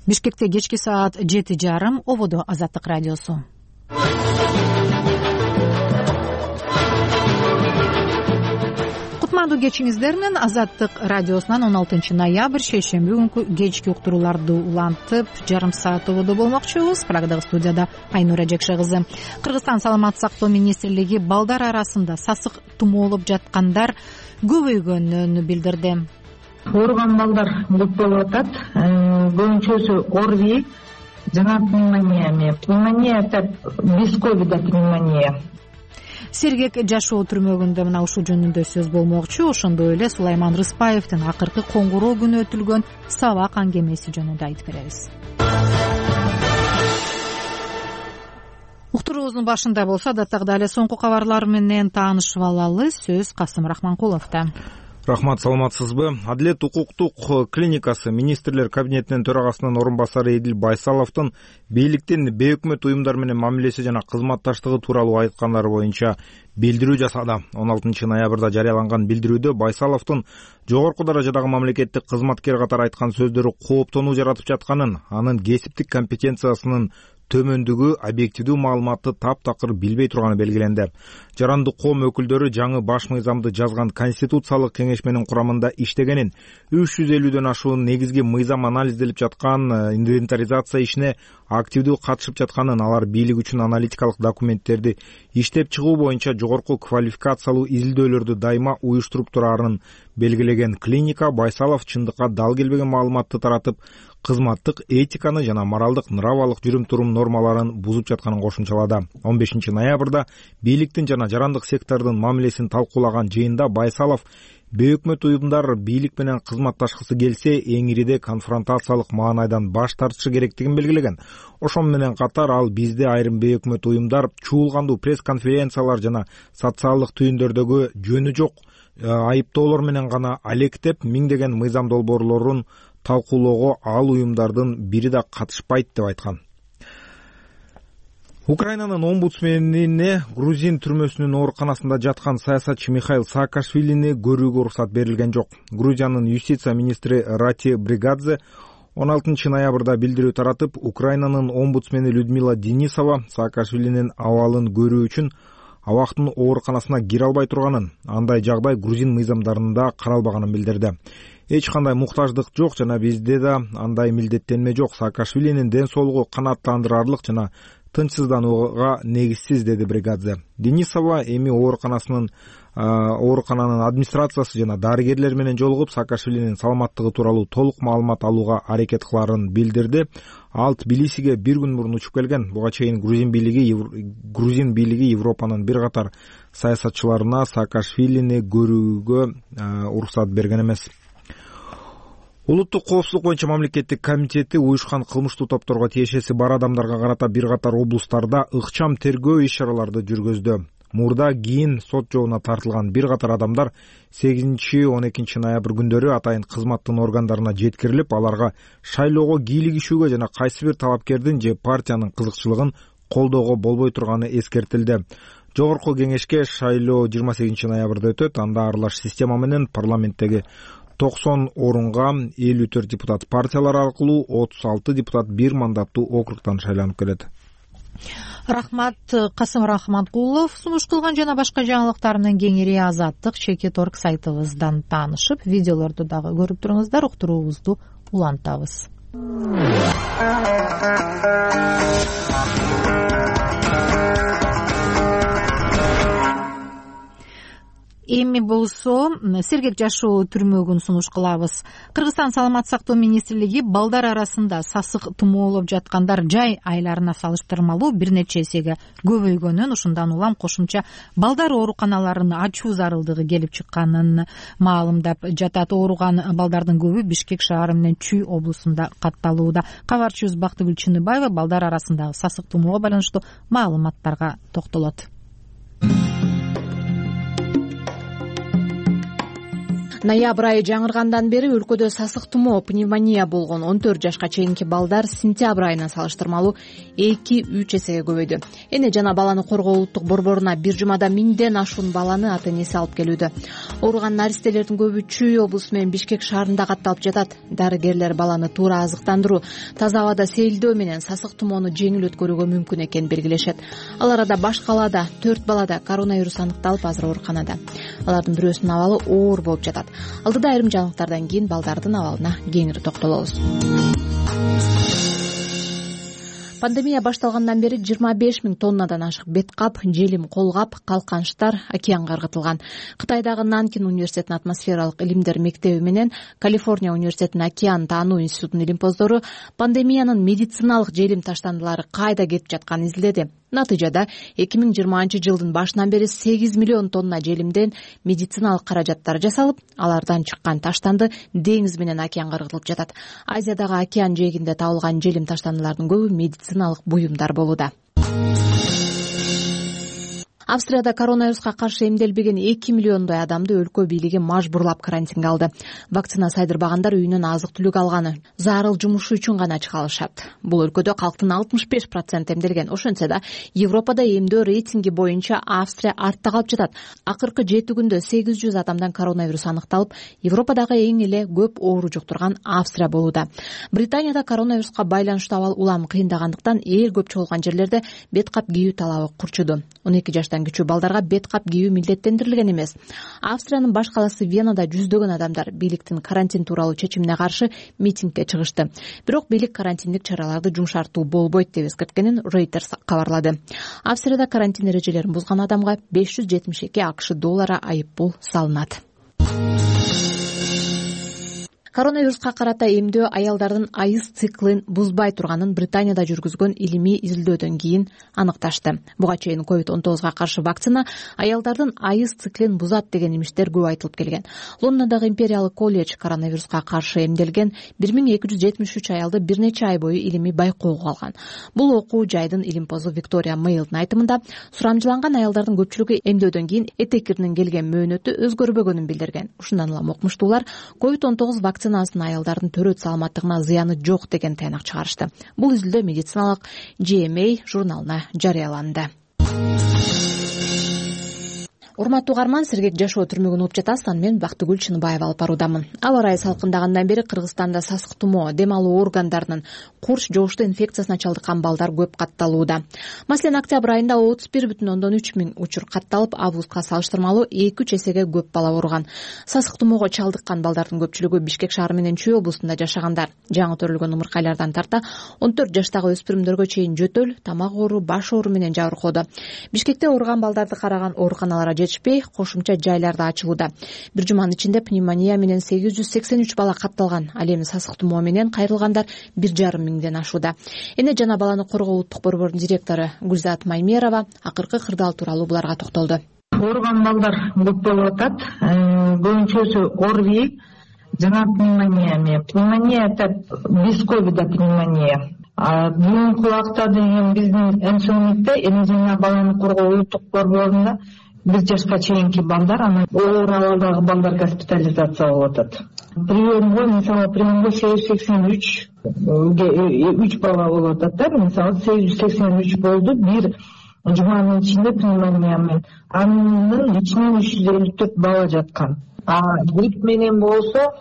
Бишкекте кечки саат жети жарым, ободо Азаттык радиосу. Кутмандуу кечиңиздер менен Азаттык радиосунан он алтынчы ноябрь шейшемби күнкү кечки уктурууларды улантып, жарым саат ободо болмокчубуз. Прагдагы студияда Айнура Жекше кызы. Кыргызстан саламаттык сактоо министрлиги балдар арасында сасык тумоолоп жаткандар көбөйгөнүн билдирди. Ооруган балдар көп болуп атат. Көбүнчөсү ОРВИ жана пневмония. Пневмония деп бесковида пневмония. Сергек жашоо түрмөгүндө мына ушул жөнүндө сөз болмокчу. Ошондой эле Сулайман Рыспаевдин акыркы коңгуроо күнү өтүлгөн сабак аңгемеси жөнүндө айтып беребиз. Уктуруубуздун башында болсо адаттагыдай эле соңку кабарлар менен таанышып алалы. Сөз Касым Рахманкуловдо. Рахмат, саламатсызбы? Адилет укуктук клиникасы министрлер кабинетинин төрагасынын орун басары Эдил Байсаловдун бийликтин бейөкмөт уюмдар менен мамилеси жана кызматташтыгы тууралуу айткандары боюнча билдирүү жасады. он алтынчы ноябрда жарыяланган билдирүүдө Байсаловдун жогорку даражадагы мамлекеттик кызматкер катары айткан сөздөрү кооптонуу жаратып жатканын, анын кесиптик компетенциясынын төмөндүгү объективдүү маалыматты таптакыр билбей турганы белгиленди. Жарандык коом өкүлдөрү жаңы баш мыйзамды жазган Конституциялык кеңешменин курамында иштегенин, үч жүз элүүдөн ашуун негизги мыйзам анализделип жаткан инвентаризация ишине активдүү катышып жатканын, алар бийлик үчүн аналитикалык документтерди иштеп чыгуу боюнча жогорку квалификациялуу изилдөөлөрдү дайыма уюштуруп турарын белгилеген клиника Байсалов чындыкка дал келбеген маалыматты таратып, кызматтык этиканы жана моралдык нравалык жүрүм-турум нормаларын бузуп жатканын кошумчалады. он бешинчи ноябрда бийликтин жана жарандык сектордун мамилесин талкуулаган жыйында Байсалов бейөкмөт уюмдар бийлик менен кызматташкысы келсе, эң ириде конфронтациялык маанайдан баш тартышы керектигин белгилеген. Ошон менен катар ал бизде айрым бейөкмөт уюмдар чуулгандуу пресс-конференциялар жана социалдык түйүндөрдөгү жөнү жок айыптоолор менен гана алектеп, миңдеген мыйзам долбоорлорун талкуулоого ал уюмдардын бири да катышпайт деп айткан. Украинанын омбудсменине Грузин түрмөсүнүн ооруканасында жаткан саясатчы Михаил Саакашвилини көрүүгө уруксат берилген жок. Грузиянын юстиция министри Рати Бригадзе он алтынчы ноябрда билдирүү таратып, Украинанын омбудсмени Людмила Денисова Саакашвилинин абалын көрүү үчүн абактын ооруканасына кире албай турганын, андай жагдай грузин мыйзамдарында каралбаганын билдирди. Эч кандай муктаждык жок жана бизде да андай милдеттенме жок. Саакашвилинин ден соолугу канааттандырарлык жана тынчсызданууга негизсиз, деди Бригадзе. Денисова эми ооруканасынын оорукананын администрациясы жана дарыгерлер менен жолугуп, Саакашвилинин саламаттыгы тууралуу толук маалымат алууга аракет кыларын билдирди. Ал Тбилисиге бир күн мурун учуп келген. Буга чейин грузин бийлиги грузин бийлиги Европанын бир катар саясатчыларына Саакашвилини көрүүгө уруксат берген эмес. Улуттук коопсуздук боюнча мамлекеттик комитети уюшкан кылмыштуу топторго тиешеси бар адамдарга карата бир катар облустарда ыкчам тергөө иш-чараларды жүргөздү. Мурда кийин сот жообуна тартылган бир катар адамдар сегизинчи он экинчи ноябрь күндөрү атайын кызматтын органдарына жеткирилип, аларга шайлоого кийлигишүүгө жана кайсы бир талапкердин же партиянын кызыкчылыгын колдоого болбой турганы эскертилди. Жогорку кеңешке шайлоо жыйырма сегизинчи ноябрда өтөт. Анда аралаш система менен парламенттеги токсон орунга элүү төрт депутат партиялар аркылуу, отуз алты депутат бир мандаттуу округтан шайланып келет. Рахмат, Касым Рахманкулов сунуш кылган жана башка жаңылыктар менен кеңири Азаттык чекит точка орг сайтыбыздан таанышып, видеолорду дагы көрүп туруңуздар. Уктуруубузду улантабыз. эми болсо сергек жашоо түрмөгүн сунуш кылабыз. Кыргызстан саламаттык сактоо министрлиги балдар арасында сасык тумоолоп жаткандар жай айларына салыштырмалуу бир нече эсеге көбөйгөнүн, ушундан улам кошумча балдар ооруканаларын ачуу зарылдыгы келип чыкканын маалымдап жатат. Ооруган балдардын көбү Бишкек шаары менен Чүй облусунда катталууда. Кабарчыбыз Бактыгүл Чыныбаева балдар арасындагы сасык тумоого байланыштуу маалыматтарга токтолот. Ноябрь айы жаңыргандан бери өлкөдө сасык тумоо, пневмония болгон он төрт жашка чейинки балдар сентябрь айына салыштырмалуу эки үч эсеге көбөйдү. Эне жана баланы коргоо улуттук борборуна бир жумада миңден ашуун баланы ата-энеси алып келүүдө. Ооруган наристелердин көбү Чүй облусу менен Бишкек шаарында катталып жатат. Дарыгерлер баланы туура азыктандыруу, таза абада сейилдөө менен сасык тумоону жеңил өткөрүүгө мүмкүн экенин белгилешет. Ал арада баш калаада төрт балада коронавирус аныкталып, азыр ооруканада. Алардын бирөөсүнүн абалы оор болуп жатат. Алдыда айрым жаңылыктардан кийин балдардын абалына кеңири токтолобуз. Пандемия башталгандан бери жыйырма беш миң тоннадан ашык бет кап, желим, колгап, калканчтар океанга ыргытылган. Кытайдагы Нанкин университетинин атмосфералык илимдер мектеби менен Калифорния университетинин океан таануу институтунун илимпоздору пандемиянын медициналык желим таштандылары кайда кетип жатканын изилдеди. Натыйжада эки миң жыйырманчы жылдын башынан бери сегиз миллион тонна желимден медициналык каражаттар жасалып, алардан чыккан таштанды деңиз менен океанга ыргытылып жатат. Азиядагы океан жээгинде табылган желим таштандылардын көбү медициналык буюмдар болууда. Австрияда коронавируска каршы эмделбеген эки миллиондой адамды өлкө бийлиги мажбурлап карантинге алды. Вакцина сайдырбагандар үйүнөн азык-түлүк алганы, зарыл жумушу үчүн гана чыга алышат. Бул өлкөдө калктын алтымыш беш проценти эмделген. Ошентсе да Европада эмдөө рейтинги боюнча Австрия артта калып жатат. Акыркы жети күндө сегиз жүз адамдан коронавирус аныкталып, Европадагы эң эле көп оору жуктурган Австрия болууда. Британияда коронавируска байланыштуу абал улам кыйындагандыктан эл көп чогулган жерлерде бет кап кийүү талабы курчуду. он эки жаштан кичүү балдарга бет кап кийүү милдеттендирилген эмес. Австриянын баш каласы Венада жүздөгөн адамдар бийликтин карантин тууралуу чечимине каршы митингге чыгышты. Бирок бийлик карантиндик чараларды жумшартуу болбойт деп эскерткенин Reuters кабарлады. Австрияда карантин эрежелерин бузган адамга беш жүз жетимиш эки акш доллары айып пул салынат. Коронавируска карата эмдөө аялдардын айыз циклин бузбай турганын Британияда жүргүзгөн илимий изилдөөдөн кийин аныкташты. Буга чейин ковид он тогузга каршы вакцина аялдардын айыз циклин бузат деген имиштер көп айтылып келген. Лондондогу империялык колледж коронавируска каршы эмделген бир миң эки жүз жетимиш үч аялды бир нече ай бою илимий байкоого алган. Бул окуу жайдын илимпозу Виктория Мейлдин айтымында сурамжыланган аялдардын көпчүлүгү эмдөөдөн кийин этекиринин келген мөөнөтү өзгөрбөгөнүн билдирген. Ушундан улам окумуштуулар ковид он тогуз вакцина аялдардын төрөт саламаттыгына зыяны жок деген тыйнак чыгарышты. Бул изилдөө медициналык Джи Эм А журналына жарыяланды. Урматтуу угарман, сергек жашоо түрмөгүн угуп жатасыз. Мен Бактыгүл Чыныбаева алып баруудамын. Аба ырайы салкындагандан бери Кыргызстанда сасык тумоо, дем алуу органдарынын курч жогуштуу инфекциясына чалдыккан балдар көп катталууда. Маселен, октябрь айында отуз бир бүтүн ондон үч миң учур катталып, августка салыштырмалуу эки үч эсеге көп бала ооруган. Сасык тумоого чалдыккан балдардын көпчүлүгү Бишкек шаары менен Чүй облусунда жашагандар. Жаңы төрөлгөн умуркайлардан тарта он төрт жаштагы өспүрүмдөргө чейин жөтөл, тамак оору, баш оору менен жабыркоодо. Бишкекте ооруган балдарды караган ооруканалар жетишпей, кошумча жайларда ачылууда. Бир жуманын ичинде пневмония менен сегиз жүз сексен үч бала катталган. Ал эми сасык тумоо менен кайрылгандар бир жарым миңден ашууда. Эне жана баланы коргоо улуттук борборунун директору Гүлзат Маймерова акыркы кырдаал тууралуу буларга токтолду. Ооруган балдар көп болуп атат. Көбүнчөсү ОРВИ жана пневмония. Пневмония это без ковида пневмония. Бүгүнкү убакта деген биздин эмсөөнүктө эне жана баланы коргоо улуттук борборунда бир жашка чейинки балдар, анан оор абалдагы балдар госпитализация болуп атат. Приемго, мисалы, приемго сегиз жүз сексен үч үч бала болуп атат да, мисалы сегиз жүз сексен үч болду бир жуманын ичинде пневмония менен. Анын ичинен үч жүз элүү төрт бала жаткан. А грипп менен болсо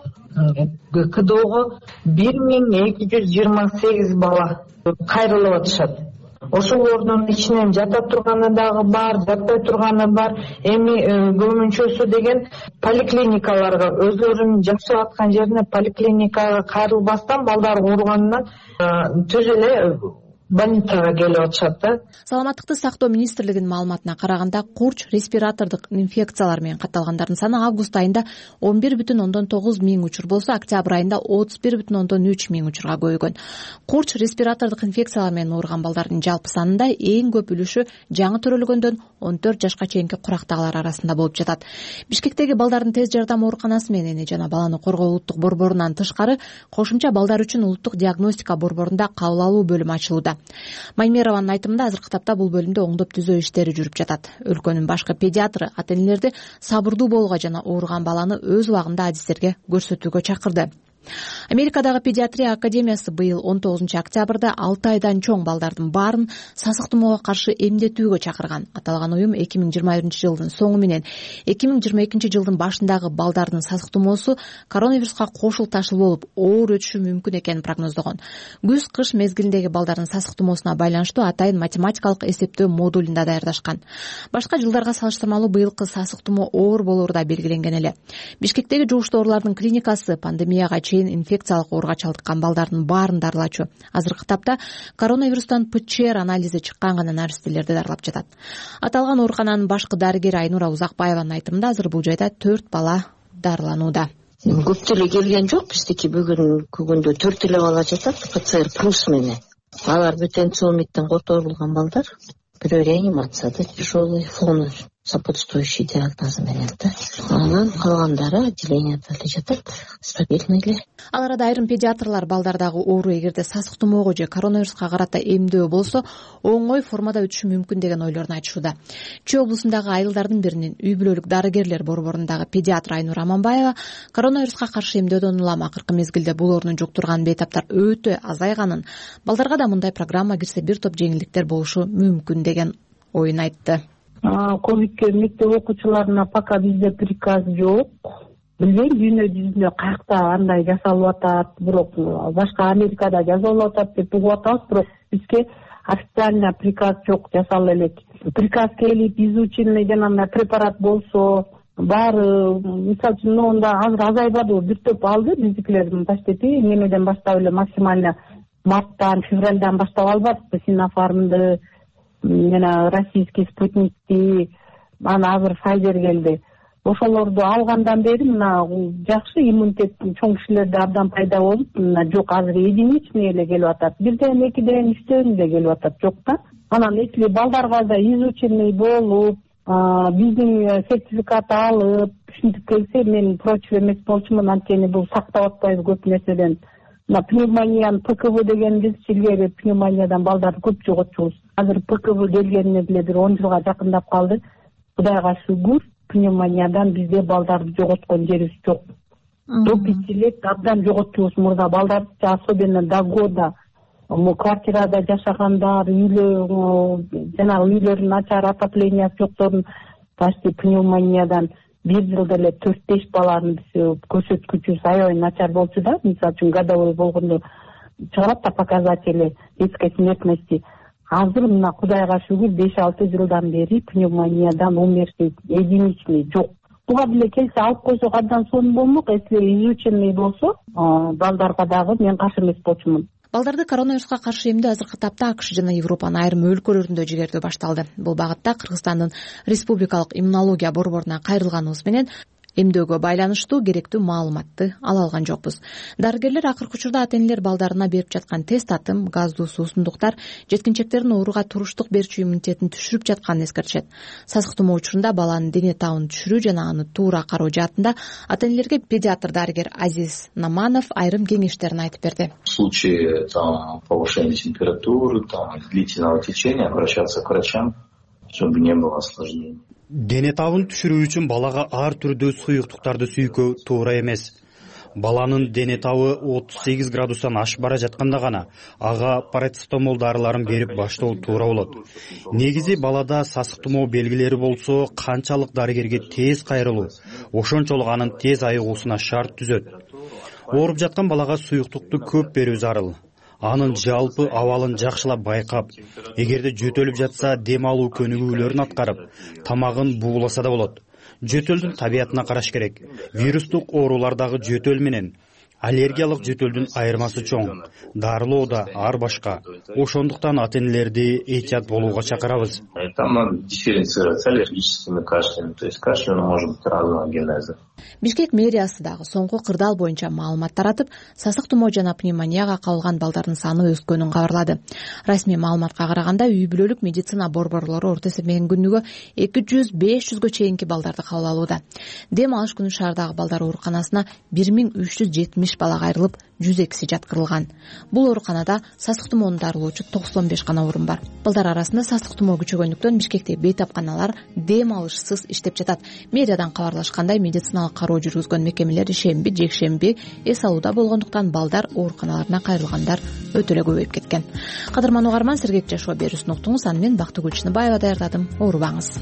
КДОго бир миң эки жүз жыйырма сегиз бала кайрылып атышат. Ошолордун ичинен жата турганы дагы бар, жатпай турганы бар. Эми көбүнчөсү деген поликлиникаларга, өзлөрүнүн жашап аткан жерине поликлиникага кайрылбастан балдар ооруганынан түз эле больницага келип атышат да. Саламаттыкты сактоо министрлигинин маалыматына караганда курч респиратордук инфекциялар менен катталгандардын саны август айында он бир бүтүн ондон тогуз миң учур болсо, октябрь айында отуз бир бүтүн ондон үч миң учурга көбөйгөн. Курч респиратордук инфекциялар менен ооруган балдардын жалпы санында эң көп үлүшү жаңы төрөлгөндөн он төрт жашка чейинки курактагылар арасында болуп жатат. Бишкектеги балдардын тез жардам ооруканасы менен эне жана баланы коргоо улуттук борборунан тышкары кошумча балдар үчүн улуттук диагностика борборунда кабыл алуу бөлүмү ачылууда. Маймерованын айтымында азыркы тапта бул бөлүмдө оңдоп түзөө иштери жүрүп жатат. Өлкөнүн башкы педиатры ата-энелерди сабырдуу болууга жана ооруган баланы өз убагында адистерге көрсөтүүгө чакырды. Америкадагы педиатрия академиясы быйыл он тогузунчу октябрда алты айдан чоң балдардын баарын сасык тумоого каршы эмдетүүгө чакырган. Аталган уюм эки миң жыйырма биринчи жылдын соңу менен эки миң жыйырма экинчи жылдын башындагы балдардын сасык тумоосу коронавируска кошул ташыл болуп оор өтүшү мүмкүн экенин прогноздогон. Күз-кыш мезгилиндеги балдардын сасык тумоосуна байланыштуу атайын математикалык эсептөө модулун да даярдашкан. Башка жылдарга салыштырмалуу быйылкы сасык тумоо оор болоору да белгиленген эле. Бишкектеги жугуштуу оорулардын клиникасы пандемияга инфекциялык ооруга чалдыккан балдардын баарын дарылачу. Азыркы тапта коронавирустан ПЧР анализи чыккан гана наристелерди дарылап жатат. Аталган оорукананын башкы дарыгери Айнура Узакбаеванын айтымында азыр бул жайда төрт бала дарыланууда. Көп деле келген жок, биздики бүгүн күгүндө төрт эле бала жатат ПЦР плюс менен. Алар бүт энцеломиттен которулган балдар, бирөө реанимацияда тяжелый фон сопутствующий диагнозу менен да. Анан калгандары отделенияда эле жатат, стабильный эле. Ал арада айрым педиатрлар балдардагы оору эгерде сасык тумоого же коронавируска карата эмдөө болсо оңой формада өтүшү мүмкүн деген ойлорун айтышууда. Чүй облусундагы айылдардын биринин үй бүлөлүк дарыгерлер борборундагы педиатр Айнура Аманбаева коронавируска каршы эмдөөдөн улам акыркы мезгилде бул оорунун жуктурган бейтаптар өтө азайганын, балдарга да мындай программа кирсе бир топ жеңилдиктер болушу мүмкүн деген оюн айтты. Ковидке мектеп окуучуларына пока бизде приказ жок. Билбейм дүйнө жүзүндө каякта андай жасалып атат, бирок башка Америкада жасалып атат деп угуп атабыз, бирок бизге официально приказ жок, жасала элек. Приказ келип, изученный жанагындай препарат болсо, баары, мисалы үчүн, онда азыр азайбады, бир топ алды биздикилер почти немеден баштап эле максимально марттан, февралдан баштап албадыкпы Синофармды, жана российский спутникти, ана азыр Pfizer келди. Ошолорду алгандан бери мына жакшы иммунитет чоң кишилерде абдан пайда болуп, мына жок азыр единичный эле келип атат. Бирден, экиден, үчтөн эле келип атат, жок да. Анан если балдарга да изученный болуп, биздин сертификат алып, ушинтип келсе, мен против эмес болчумун, анткени бул сактап атпайбыз көп нерседен. Мына пневмонияны ПКВ деген биз илгери пневмониядан балдарды көп жоготчубуз. Азыр ПКВ келгенине деле бир он жылга жакындап калды. Кудайга шүгүр, пневмониядан бизде балдарды жоготкон жерибиз жок. До пяти лет абдан жоготчубуз мурда балдарды, особенно до года. Квартирада жашагандар, үйлөр, жанагы үйлөрдүн начар отоплениясы жоктордун почти пневмониядан бир жылда эле төрт беш баланын көрсөткүчүбүз аябай начар болчу да. Мисалы үчүн годовой болгондо чыгарат да показатели детской смертности. Азыр мына Кудайга шүгүр беш алты жылдан бери пневмониядан умерший единичный жок. Буга деле келсе алып койсок абдан сонун болмок, если изученный болсо, балдарга дагы мен каршы эмес болчумун. Балдарды коронавируска каршы эмдөө азыркы тапта АКШ жана Европанын айрым өлкөлөрүндө жибердөө башталды. Бул багытта Кыргызстандын Республикалык иммунология борборуна кайрылганыбыз менен эмдөөгө байланыштуу керектүү маалыматты ала алган жокпуз. Дарыгерлер акыркы учурда ата-энелер балдарына берип жаткан тест татым, газдуу суусундуктар жеткинчектердин ооруга туруштук берчү иммунитетин түшүрүп жатканын эскертишет. Сасык тумоо учурунда баланын дене табын түшүрүү жана аны туура кароо жаатында ата-энелерге педиатр дарыгер Азиз Наманов айрым кеңештерин айтып берди. В случае там повышения температуры, там длительного течения обращаться к врачам, чтобы не было осложнений. Дене табын түшүрүү үчүн балага ар түрдүү суюктуктарды сүйкөө туура эмес. Баланын дене табы отуз сегиз градустан ашып бара жатканда гана ага парацетамол дарыларын берип баштоо туура болот. Негизи балада сасык тумоо белгилери болсо, канчалык дарыгерге тез кайрылуу, ошончолук анын тез айыгуусуна шарт түзөт. Ооруп жаткан балага суюктукту көп берүү зарыл. Анын жалпы абалын жакшылап байкап, эгерде жөтөлүп жатса дем алуу көнүгүүлөрүн аткарып, тамагын бууласа да болот. Жөтөлдүн табиятына караш керек. Вирустук оорулардагы жөтөл менен аллергиялык жөтөлдүн айырмасы чоң, дарылоо да ар башка. Ошондуктан ата энелерди этият болууга чакырабыз. Там надо дифференцировать с аллергическими кашлями, то есть кашель может быть разного генеза. Бишкек мэриясы дагы соңку кырдаал боюнча маалымат таратып, сасык тумоо жана пневмонияга кабылган балдардын саны өскөнүн кабарлады. Расмий маалыматка караганда үй бүлөлүк медицина борборлору орто эсеппен күнүгө эки жүз беш жүзгө чейинки балдарды кабыл алууда. Дем алыш күнү шаардагы балдар ооруканасына бир миң үч жүз жетимиш бала кайрылып, жүз экиси жаткырылган. Бул ооруканада сасык тумоонун дарылоочу токсон беш гана орун бар. Балдар арасында сасык тумоо күчөгөндүктөн Бишкекте бейтапканалар дем алышсыз иштеп жатат. Мэриядан кабарлашкандай, медициналык кароо жүргүзгөн мекемелер шемби, жекшемби эс алууда болгондуктан балдар ооруканаларына кайрылгандар өтө эле көбөйүп кеткен. Кадырман угарман, Сергек жашоо берүүсүн уктуңуз. Аны мен Бактыгүл Чыныбаева даярдадым. Оорубаңыз.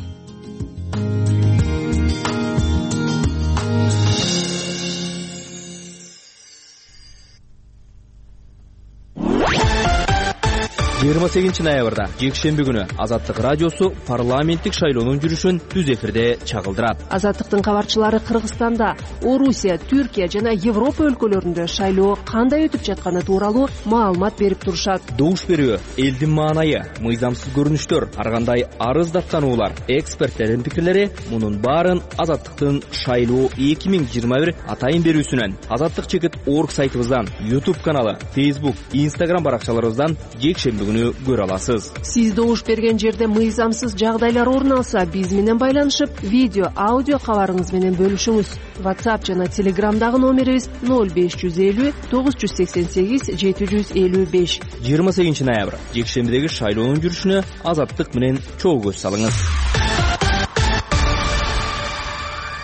жыйырма сегизинчи ноябрда жекшемби күнү Азаттык радиосу парламенттик шайлоонун жүрүшүн түз эфирде чагылдырат. Азаттыктын кабарчылары Кыргызстанда, Орусия, Түркия жана Европа өлкөлөрүндө шайлоо кандай өтүп жатканы тууралуу маалымат берип турушат. Добуш берүү, элдин маанайы, мыйзамсыз көрүнүштөр, ар кандай арыз даттануулар, эксперттердин пикирлери — мунун баарын Азаттыктын шайлоо эки миң жыйырма бир атайын берүүсүнөн, Азаттык чекит орг сайтыбыздан, YouTube каналы, Facebook, Instagram баракчаларыбыздан жекшемби күнү көрө аласыз. Сиз добуш берген жерде мыйзамсыз жагдайлар орун алса, биз менен байланышып, видео, аудио кабарыңыз менен бөлүшүңүз. WhatsApp жана Telegramдагы номерибиз ноль беш жүз элүү тогуз жүз сексен сегиз жети жүз элүү беш. жыйырма сегизинчи ноябрь жекшембидеги шайлоонун жүрүшүнө Азаттык менен чогуу көз салыңыз.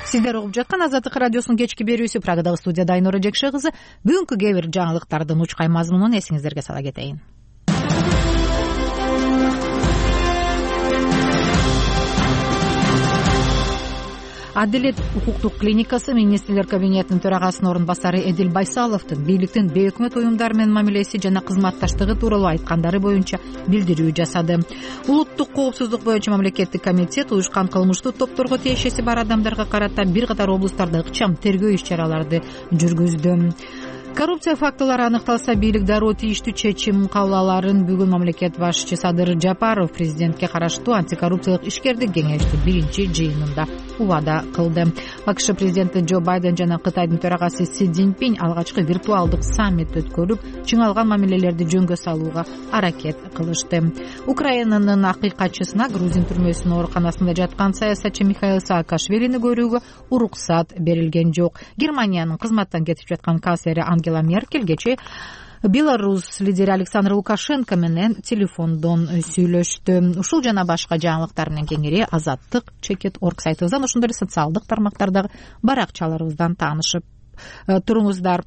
Сиздер угуп жаткан Азаттык радиосунун кечки берүүсү. Прагадагы студияда Айнура Жекше кызы. Бүгүнкү кээ бир жаңылыктардын учкай мазмунун эсиңиздерге сала кетейин. Адилет укуктук клиникасы министрлер кабинетинин төрагасынын орун басары Эдил Байсаловдун бийликтин бейөкмөт уюмдар менен мамилеси жана кызматташтыгы тууралуу айткандары боюнча билдирүү жасады. Улуттук коопсуздук боюнча мамлекеттик комитет уюшкан кылмыштуу топторго тиешеси бар адамдарга карата бир катар облустарда ыкчам тергөө иш-чараларды жүргүздү. Коррупция фактылары аныкталса, бийлик дароо тийиштүү чечим кабыл аларын бүгүн мамлекет башчысы Садыр Жапаров президентке караштуу антикоррупциялык ишкердик кеңештин биринчи жыйынында убада кылды. АКШ президенти Джо Байден жана Кытайдын төрагасы Си Цзиньпин алгачкы виртуалдык саммит өткөрүп, чыңалган мамилелерди жөнгө салууга аракет кылышты. Украинанын акыйкатчысына Грузин түрмөсүнүн ооруканасында жаткан саясатчы Михаил Саакашвилини көрүүгө уруксат берилген жок. Германиянын кызматтан кетип жаткан канцлери Ангела Меркель кечээ Беларусь лидери Александр Лукашенко менен телефондон сүйлөштү. Ушул жана башка жаңылыктар менен кеңири Азаттык чекит орг сайтыбыздан, ошондой эле социалдык тармактардагы баракчаларыбыздан таанышып туруңуздар.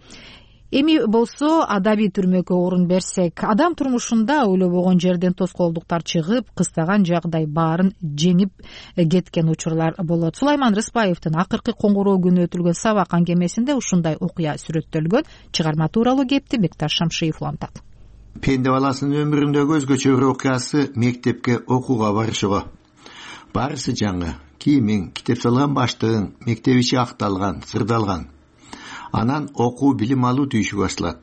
Эми болсо адабий түрмөккө орун берсек, адам турмушунда ойлобогон жерден тоскоолдуктар чыгып, кыстаган жагдай баарын жеңип кеткен учурлар болот. Сулайман Рыспаевдин акыркы коңгуроо күнү өтүлгөн сабак аңгемесинде ушундай окуя сүрөттөлгөн. Чыгарма тууралуу кепти Бекташ Шамшиев улантат. Пенде баласынын өмүрүндөгү өзгөчө бир окуясы мектепке окууга барышыгы. Барысы жаңы, кийимиң, китеп салган баштыгың, мектеп ичи акталган, сырдалган. Анан окуу билим алуу түйүшү башталат.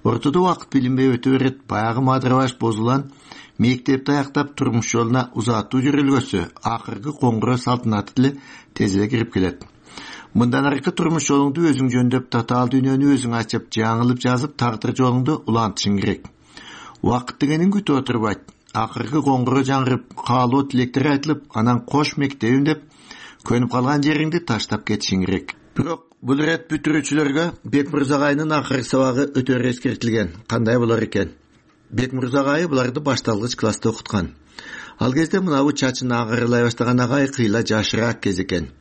Ортодо убакыт билинбей өтө берет, баягы мадырабаш бозулган мектепти аяктап турмуш жолуна узатуу жүрүлгөсө, акыркы коңгуроо салтанаты деле тез эле кирип келет. Мындан аркы турмуш жолуңду өзүң жөндөп, татаал дүйнөнү өзүң ачып, жаңылып жазып, тагдыр жолуңду улантышың керек. Убакыт дегенин күтүп отурбайт. Акыркы коңгуроо жаңырып, каалоо тилектер айтылып, анан кош мектебим деп көнүп калган жериңди таштап кетишиң керек. Бирок бул ирет бүтүрүүчүлөргө Бекмырза агайнын акыркы сабагы өтө эскертилген. Кандай болор экен? Бекмырза агай буларды башталгыч класста окуткан. Ал кезде мынабу чачын агырылай баштаган агай кыйла жашыраак кез экен.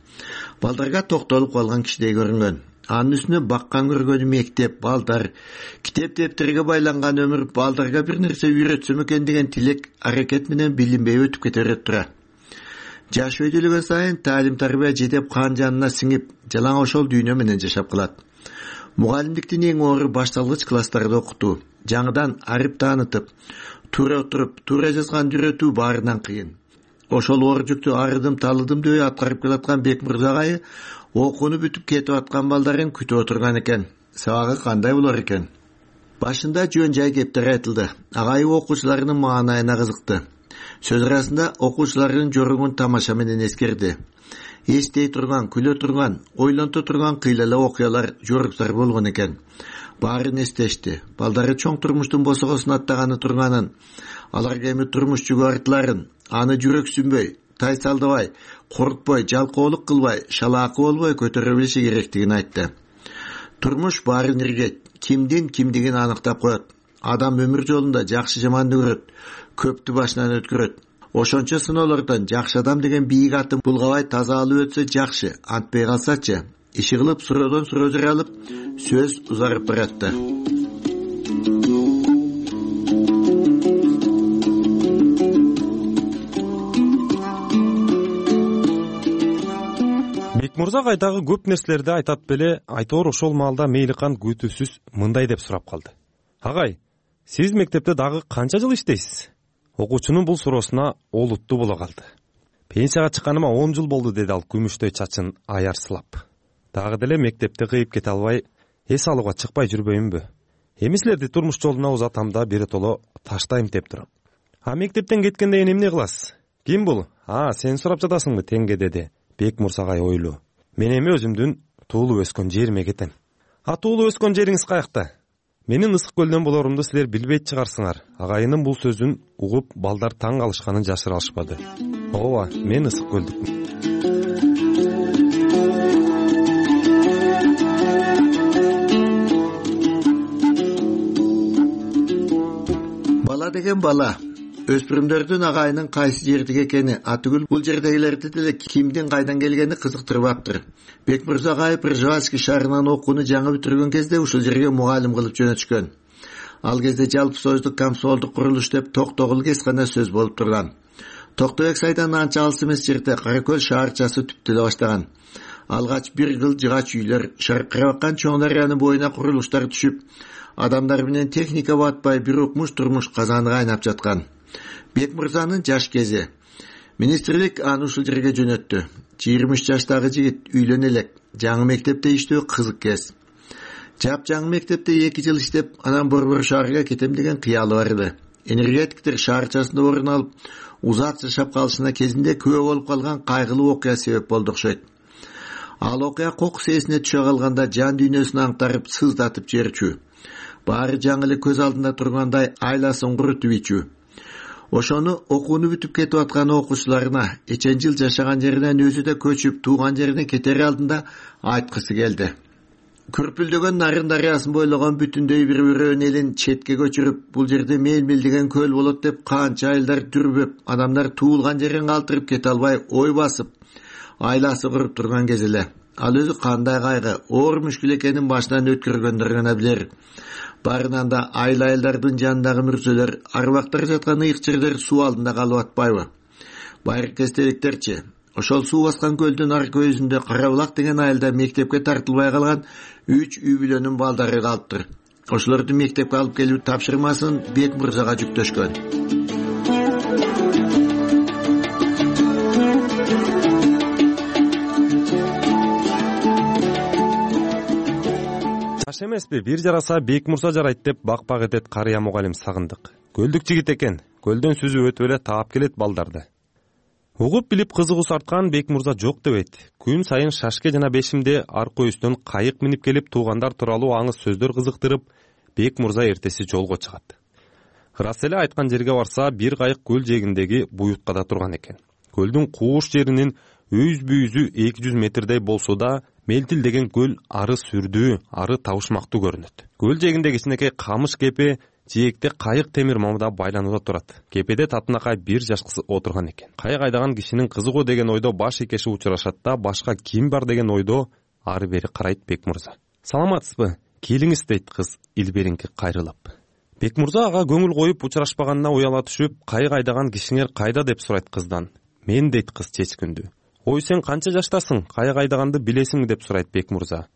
Балдарга токтолуп калган кишидей көрүнгөн. Анын үстүнө баккан көргөнү мектеп, балдар, китеп дептерге байланган өмүр балдарга бир нерсе үйрөтсөм экен деген тилек, аракет менен билинбей өтүп кете берет тура. Жаш өйдөлөгөн сайын таалим тарбия жетеп кан жанына сиңип, жалаң ошол дүйнө менен жашап калат. Мугалимдиктин эң оор башталгыч класстарда окутуу, жаңыдан арып таанытып, туура отуруп, туура жазган үйрөтүү баарынан кыйын. Ошол оор жүктү арыдым талыдым деп аткарып келаткан Бекмырза агай окууну бүтүп кетип аткан балдарын күтүп отурган экен. сабагы кандай болор экен? Башында жөн жай кептер айтылды. Агайып окуучуларынын маанайына кызыкты. Сөз арасында окуучулардын жоругун тамаша менен эскерди. Эстей турган, күлө турган, ойлонто турган кыйлала окуялар, жоруктар болгон экен. Баарын эстешти. Балдары чоң турмуштун босогосун аттаганы турганын, аларга эми турмуш жүгү артыларын, аны жүрөксүнбөй, тайсалдабай, коркпой, жалкоолук кылбай, шалаакы болбой көтөрө билиши керектигин айтты. Турмуш баарын иргет, кимдин кимдигин аныктап коет. Адам өмүр жолунда жакшы жаманды көрөт, көптү башынан өткөрөт. Ошончо сыноолордон жакшы адам деген бийик атын булгабай таза алып өтсө жакшы, антпай калсачы. Иши кылып суроодон суроо жаралып, сөз узарып баратты. Бекмурза кайдагы көп нерселерди айтат беле, айтор ошол маалда Мейликан күтүүсүз мындай деп сурап калды. Агай, сиз мектепте дагы канча жыл иштейсиз? Окуучунун бул суроосуна олуттуу боло калды. Пенсияга чыкканыма он жыл болду, деди ал күмүштөй чачын аярсылап. Дагы деле мектепти кыйып кете албай, эс алууга чыкпай жүрбөймүнбү? Эми силерди турмуш жолуна узатам да биротоло таштайм деп турам. А мектептен кеткенде эмне кыласыз? Ким бул? А, сен сурап жатасыңбы, теңге, деди Бекмурзагай ойлуу. Мен эми өзүмдүн туулуп өскөн жериме кетем. А туулуп өскөн жериңиз каякта? Менин Ысык көлдөн болорумду силер билбейт чыгарсыңар. Агайынын бул сөзүн угуп балдар таң калышканын жашыра алышпады. Ооба, мен Ысык көлдүкмүн. Бала деген бала. Өспүрүмдөрдүн агайынын кайсы жердеги экени, атүгүл бул жердегилерди деле кимдин кайдан келгени кызыктырбаптыр. Бекмурза агай Пржевальский шаарынан окууну жаңы бүтүргөн кезде ушул жерге мугалим кылып жөнөтүшкөн. Ал кезде жалпы союздук комсомолдук курулуш деп Токтогул кез гана сөз болуп турган. Токтогул сайдан анча алыс эмес жерде Каракөл шаарчасы түптөлө баштаган. Алгач бир кыл жыгач үйлөр, шаркырап аккан чоң дарыянын боюна курулуштар түшүп, адамдар менен техника батпай бир укмуш турмуш казаны кайнап жаткан. Бекмурзанын жаш кези. Министрлик аны ушул жерге жөнөттү. жыйырма үч жаштагы жигит үйлөнө элек, жаңы мектепте иштөө кызык кез. Жап жаңы мектепте эки жыл иштеп, анан Борбор шаарга кетем деген кыялы бар эди. Энергетиктер шаарчасында орун алып, узат жашап калышына кезинде күбө болуп калган кайгылуу окуя себеп болду окшойт. Ал окуя кокус эсине түшө калганда жан дүйнөсүн аңтарып, сыздатып жиберчү. Баары жаңы эле көз алдында тургандай айласын курутуп ичүү. Ошону окууну бүтүп кетип аткан окуучуларына, эчен жыл жашаган жеринен өзү да көчүп, тууган жерине кетери алдында айткысы келди. Күрпүлдөгөн Нарын дарыясын бойлогон бүтүндөй бир өрөөн элин четке көчүрүп, бул жерде Мелмил деген көл болот деп канча айылдар дүрбөп, адамдар туулган жерин калтырып кете албай ой басып, айласы куруп турган кез эле. Ал өзү кандай кайгы, оор мүшкүл экенин башынан өткөргөндөр гана билер. Барынан да айыл айылдардын жанындагы мүрзөлөр, арбактар жаткан ыйык жерлер суу алдында калып атпайбы? Байыркы эстеликтерчи. Ошол суу баскан көлдүн аркы өзүндө Карабулак деген айылда мектепке тартылбай калган үч үй бүлөнүн балдары калыптыр. Ошолорду мектепке алып келүү тапшырмасын Бекмурзага жүктөшкөн. Жаш эмеспи, бир жараса Бекмурза жарайт деп бак-бак этет карыя мугалим сагындык. Көлдүк жигит экен, көлдөн сүзүп өтүп эле таап келет балдарды. Угуп билип кызыгуу сарткан Бекмурза жок дебейт. Күн сайын Шашке жана Бешимде аркы үстөн кайык минип келип туугандар тууралуу аңыз сөздөр кызыктырып, Бекмурза эртеси жолго чыгат. Ырас эле айткан жерге барса, бир кайык көл жээгиндеги буюткада турган экен. Көлдүн кууш жеринин өз бүйүзү эки жүз метрдей болсо да, Мелтил деген көл ары сүрдүү, ары табышмактуу көрүнөт. Көл жээгинде кичинекей камыш кепе жээкте кайык темир мамда байланууда турат. Кепеде татынакай бир жаш кыз отурган экен. Кайык айдаган кишинин кызы го деген ойдо баш ийкеши учурашат да, башка ким бар деген ойдо ары бери карайт Бекмурза. Саламатсызбы? Келиңиз, дейт кыз илберинки кайрылып. Бекмурза ага көңүл коюп учурашпаганына уяла түшүп, кайык айдаган кишиңер кайда деп сурайт кыздан. Мен, дейт кыз чечкүндүү. Ой, сен канча жаштасың? Кайык айдаганды билесиңби деп сурайт Бекмурза.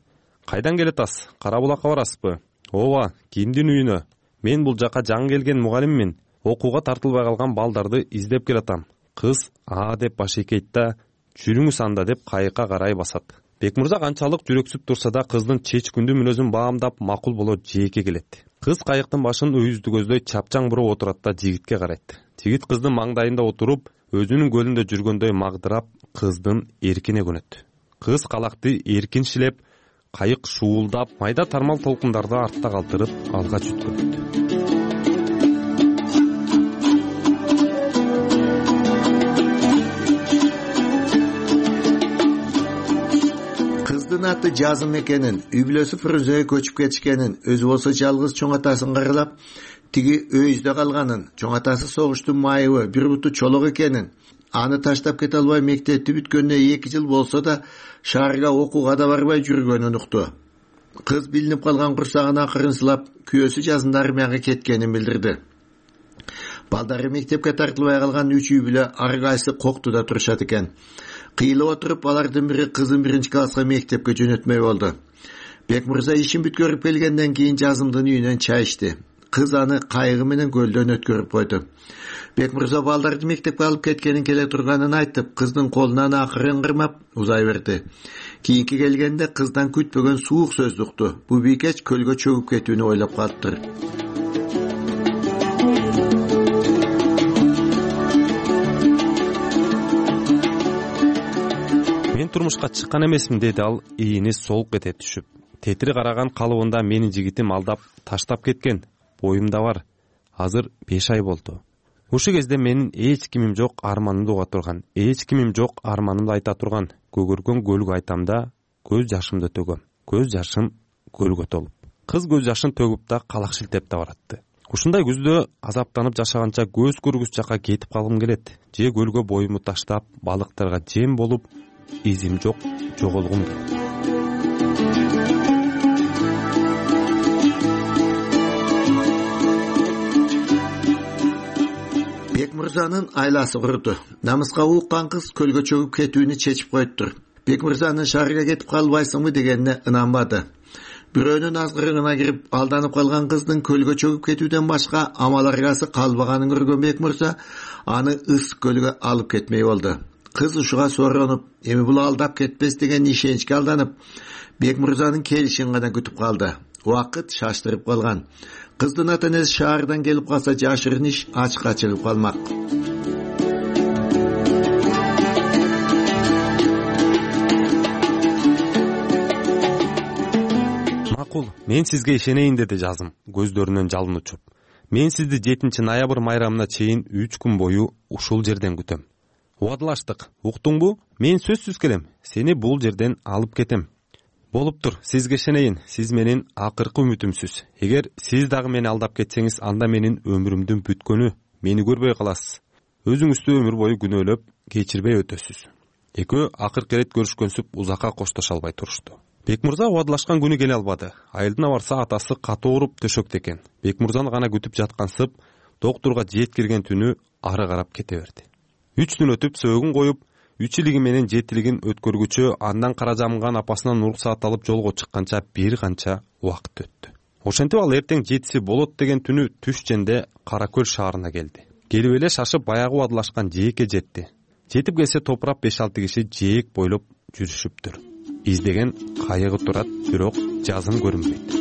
Кайдан келетасыз? Карабулакка барасызбы? Ооба, кимдин үйүнө? Мен бул жака жаңы келген мугалиммин. Окууга тартылбай калган балдарды издеп келатам. Кыз а деп баш ийкейт да, жүрүңүз анда деп кайыкка карай басат. Бекмырза канчалык жүрөксүп турса да кыздын чечкүндүү мүнөзүн баамдап макул боло жээкке келет. Кыз кайыктын башын үйүздү көздөй чапчаң буруп отурат да жигитке карайт. Жигит кыздын маңдайында отуруп, өзүнүн көлүндө жүргөндөй магдырап, кыздын эркине көнөт. Кыз калакты эркин шилеп, кайык шуулдап, майда тармал толкундарды артта калтырып, алга жүткөрөт. Кыздын аты Жазым экенин, үй бүлөсү Фрунзеге көчүп кетишкенин, өзү болсо жалгыз чоң атасын каралап, тиги өйүздө калганын, чоң атасы согуштун майыбы, бир буту чолок экенин, аны таштап кете албай мектепти бүткөнүнө эки жыл болсо да шаарга окууга да барбай жүргөнүн укту. Кыз билинип калган курсагын акырын сылап, күйөөсү жазында армияга кеткенин билдирди. Балдары мектепке тартылбай калган үч үй бүлө ар кайсы Коктуда турушат экен. Кыйылып отуруп, алардын бири кызын биринчи класска мектепке жөнөтмөй болду. Бекмырза ишин бүткөрүп келгенден кийин Жазымдын үйүнөн чай ичти. Кыз аны кайыгы менен көлдөн өткөрүп койду. Бекмырза балдарды мектепке алып кеткенин келе турганын айтып, кыздын колунан акырын кырмап узай берди. Кийинки келгенде кыздан күтпөгөн суук сөздү укту. Бу бийкеч көлгө чөгүп кетүүнү ойлоп калыптыр. Мен турмушка чыккан эмесмин, деди ал ийини солук эте түшүп. Тетири караган калыбында мени жигитим алдап таштап кеткен. Боюмда бар. Азыр беш ай болду. Ушул кезде менин эч кимим жок арманымды уга турган, эч кимим жок арманымды айта турган. Көгөргөн көлгө айтам да, көз жашымды төгөм. Көз жашым көлгө толуп. Кыз көз жашын төгүп да калак шилтеп да баратты. Ушундай күздө азаптанып жашаганча көз көргүс жака кетип калгым келет. Же көлгө боюмду таштап, балыктарга жем болуп, изим жок жоголгум келет. Бекмырзанын айласы курду. Намыска уккан кыз көлгө чөгүп кетүүнү чечип коюптур. Бекмырзанын шаарга кетип калбайсыңбы дегенине ынанбады. Бирөөнүн азгырыгына кирип алданып калган кыздын көлгө чөгүп кетүүдөн башка амал аргасы калбаганын көргөн Бекмырза аны ысык көлгө алып кетмей болду. Кыз ушуга соронуп, эми бул алдап кетпес деген ишеничке алданып, Бекмырзанын келишин гана күтүп калды. Убакыт шаштырып калган. Кыздын ата-энеси шаардан келип калса жашырын иш ачыкка чыгып калмак. Макул, мен сизге ишенейин, деди Жазым, көздөрүнөн жалын учуп. Мен сизди жетинчи ноябрь майрамына чейин үч күн бою ушул жерден күтөм. Убадалаштык, уктуңбу? Мен сөзсүз келем, сени бул жерден алып кетем. Болуптур, сизге ишенейин, сиз менин акыркы үмүтүмсүз. Эгер сиз дагы мени алдап кетсеңиз, анда менин өмүрүмдүн бүткөнү, мени көрбөй каласыз. Өзүңүздү өмүр бою күнөөлөп, кечирбей өтөсүз. Экөө акыркы ирет көрүшкөнсүп узакка коштошо албай турушту. Бекмырза убадалашкан күнү келе албады. Айылдына барса атасы катуу ооруп төшөктө экен. Бекмырзаны гана күтүп жаткансып, доктурга жеткирген түнү ары карап кете берди. Үч күн өтүп сөөгүн коюп, үч илиги менен жетилигин өткөргүчө андан кара жамган апасынан уруксаат алып жолго чыкканча бир канча убакыт өттү. Ошентип ал эртең жетиси болот деген түнү түш женде Кара Көл шаарына келди. Келип эле шашып баягы убадалашкан жээкке жетти. Жетип келсе топурап беш алты киши жээк бойлоп жүрүшүптүр. Издеген кайыгы турат, бирок Жазым көрүнбөйт.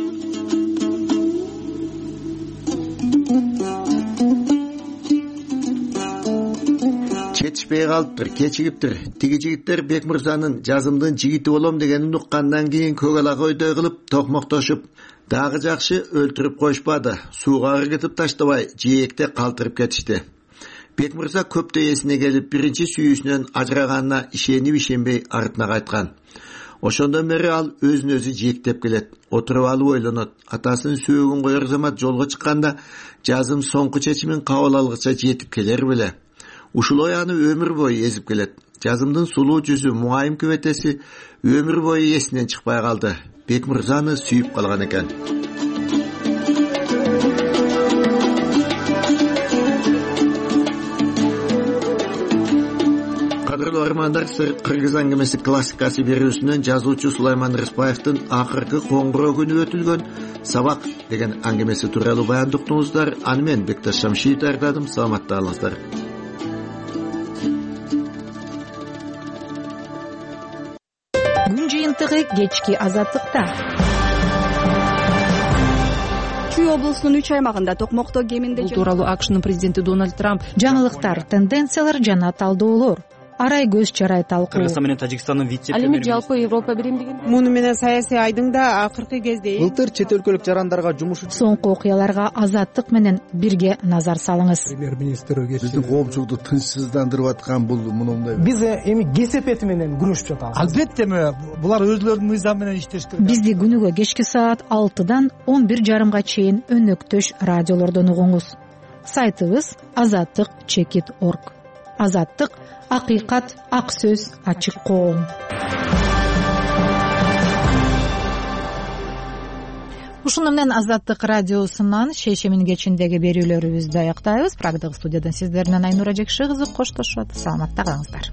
Жетишпей калыптыр, кечигиптир. Тиги жигиттер Бекмырзанын Жазымдын жигити болом дегенин уккандан кийин көк ала койдой кылып токмоктошуп, дагы жакшы өлтүрүп коюшпады. Сууга ыргытып таштабай, жээкте калтырып кетишти. Бекмырза көптөй эсине келип, биринчи сүйүүсүнөн ажыраганына ишенип ишенбей артына кайткан. Ошондон бери ал өзүн өзү жээктеп келет. Отуруп алып ойлонот. Атасынын сөөгүн коер замат жолго чыкканда Жазым соңку чечимин кабыл алгыча жетип келер беле. Ушул ой аны өмүр бою эзип келет. Жазымдын сулуу жүзү, муайым күбөтеси өмүр бою эсинен чыкпай калды. Бекмырзаны сүйүп калган экен. Кадырлуу армандар, Кыргыз аңгемеси классикасы берүүсүнөн жазуучу Сулайман Рыспаевдин акыркы коңгуроо күнү өтүлгөн Сабак деген аңгемеси тууралуу баяндыктыңыздар. Аны мен Бекташ Шамшиев даярдадым. Саламатта калыңыздар. Күн дагы кечки азаттыкта. Чүй облусунун үч аймагында токмокто кеминде бул тууралуу акшнын президенти Дональд Трамп жаңылыктар, тенденциялар жана талдоолор, арай көз чарай талкуу. Кыргызстан менен Тажикстандын вице ал эми жалпы Европа биримдигин муну менен саясий айдың да акыркы кезде былтыр чет өлкөлүк жарандарга жумуш соңку окуяларга азаттык менен бирге назар салыңыз. Премьер-министр биздин коомчулукту тынчсыздандырып аткан бул мындай. Биз эми кесепети менен күрөшүп жатабыз. Албетте булар өзлөрүнүн мыйзамы менен иштеш керек. Бизди күнүгө кечки саат алтыдан он бир жарымга чейин өнөктөш радиолордон угуңуз. Сайтыбыз азаттык чекит орг. Азаттык акыйкат, ак сөз, ачык коом. Ушуну менен Азаттык радиосунан шейшемин кечиндеги берүүлөрүбүздү аяктайбыз. Прагдагы студиядан сиздер менен Айнура Жекши кызы коштошот. Саламатта калыңыздар.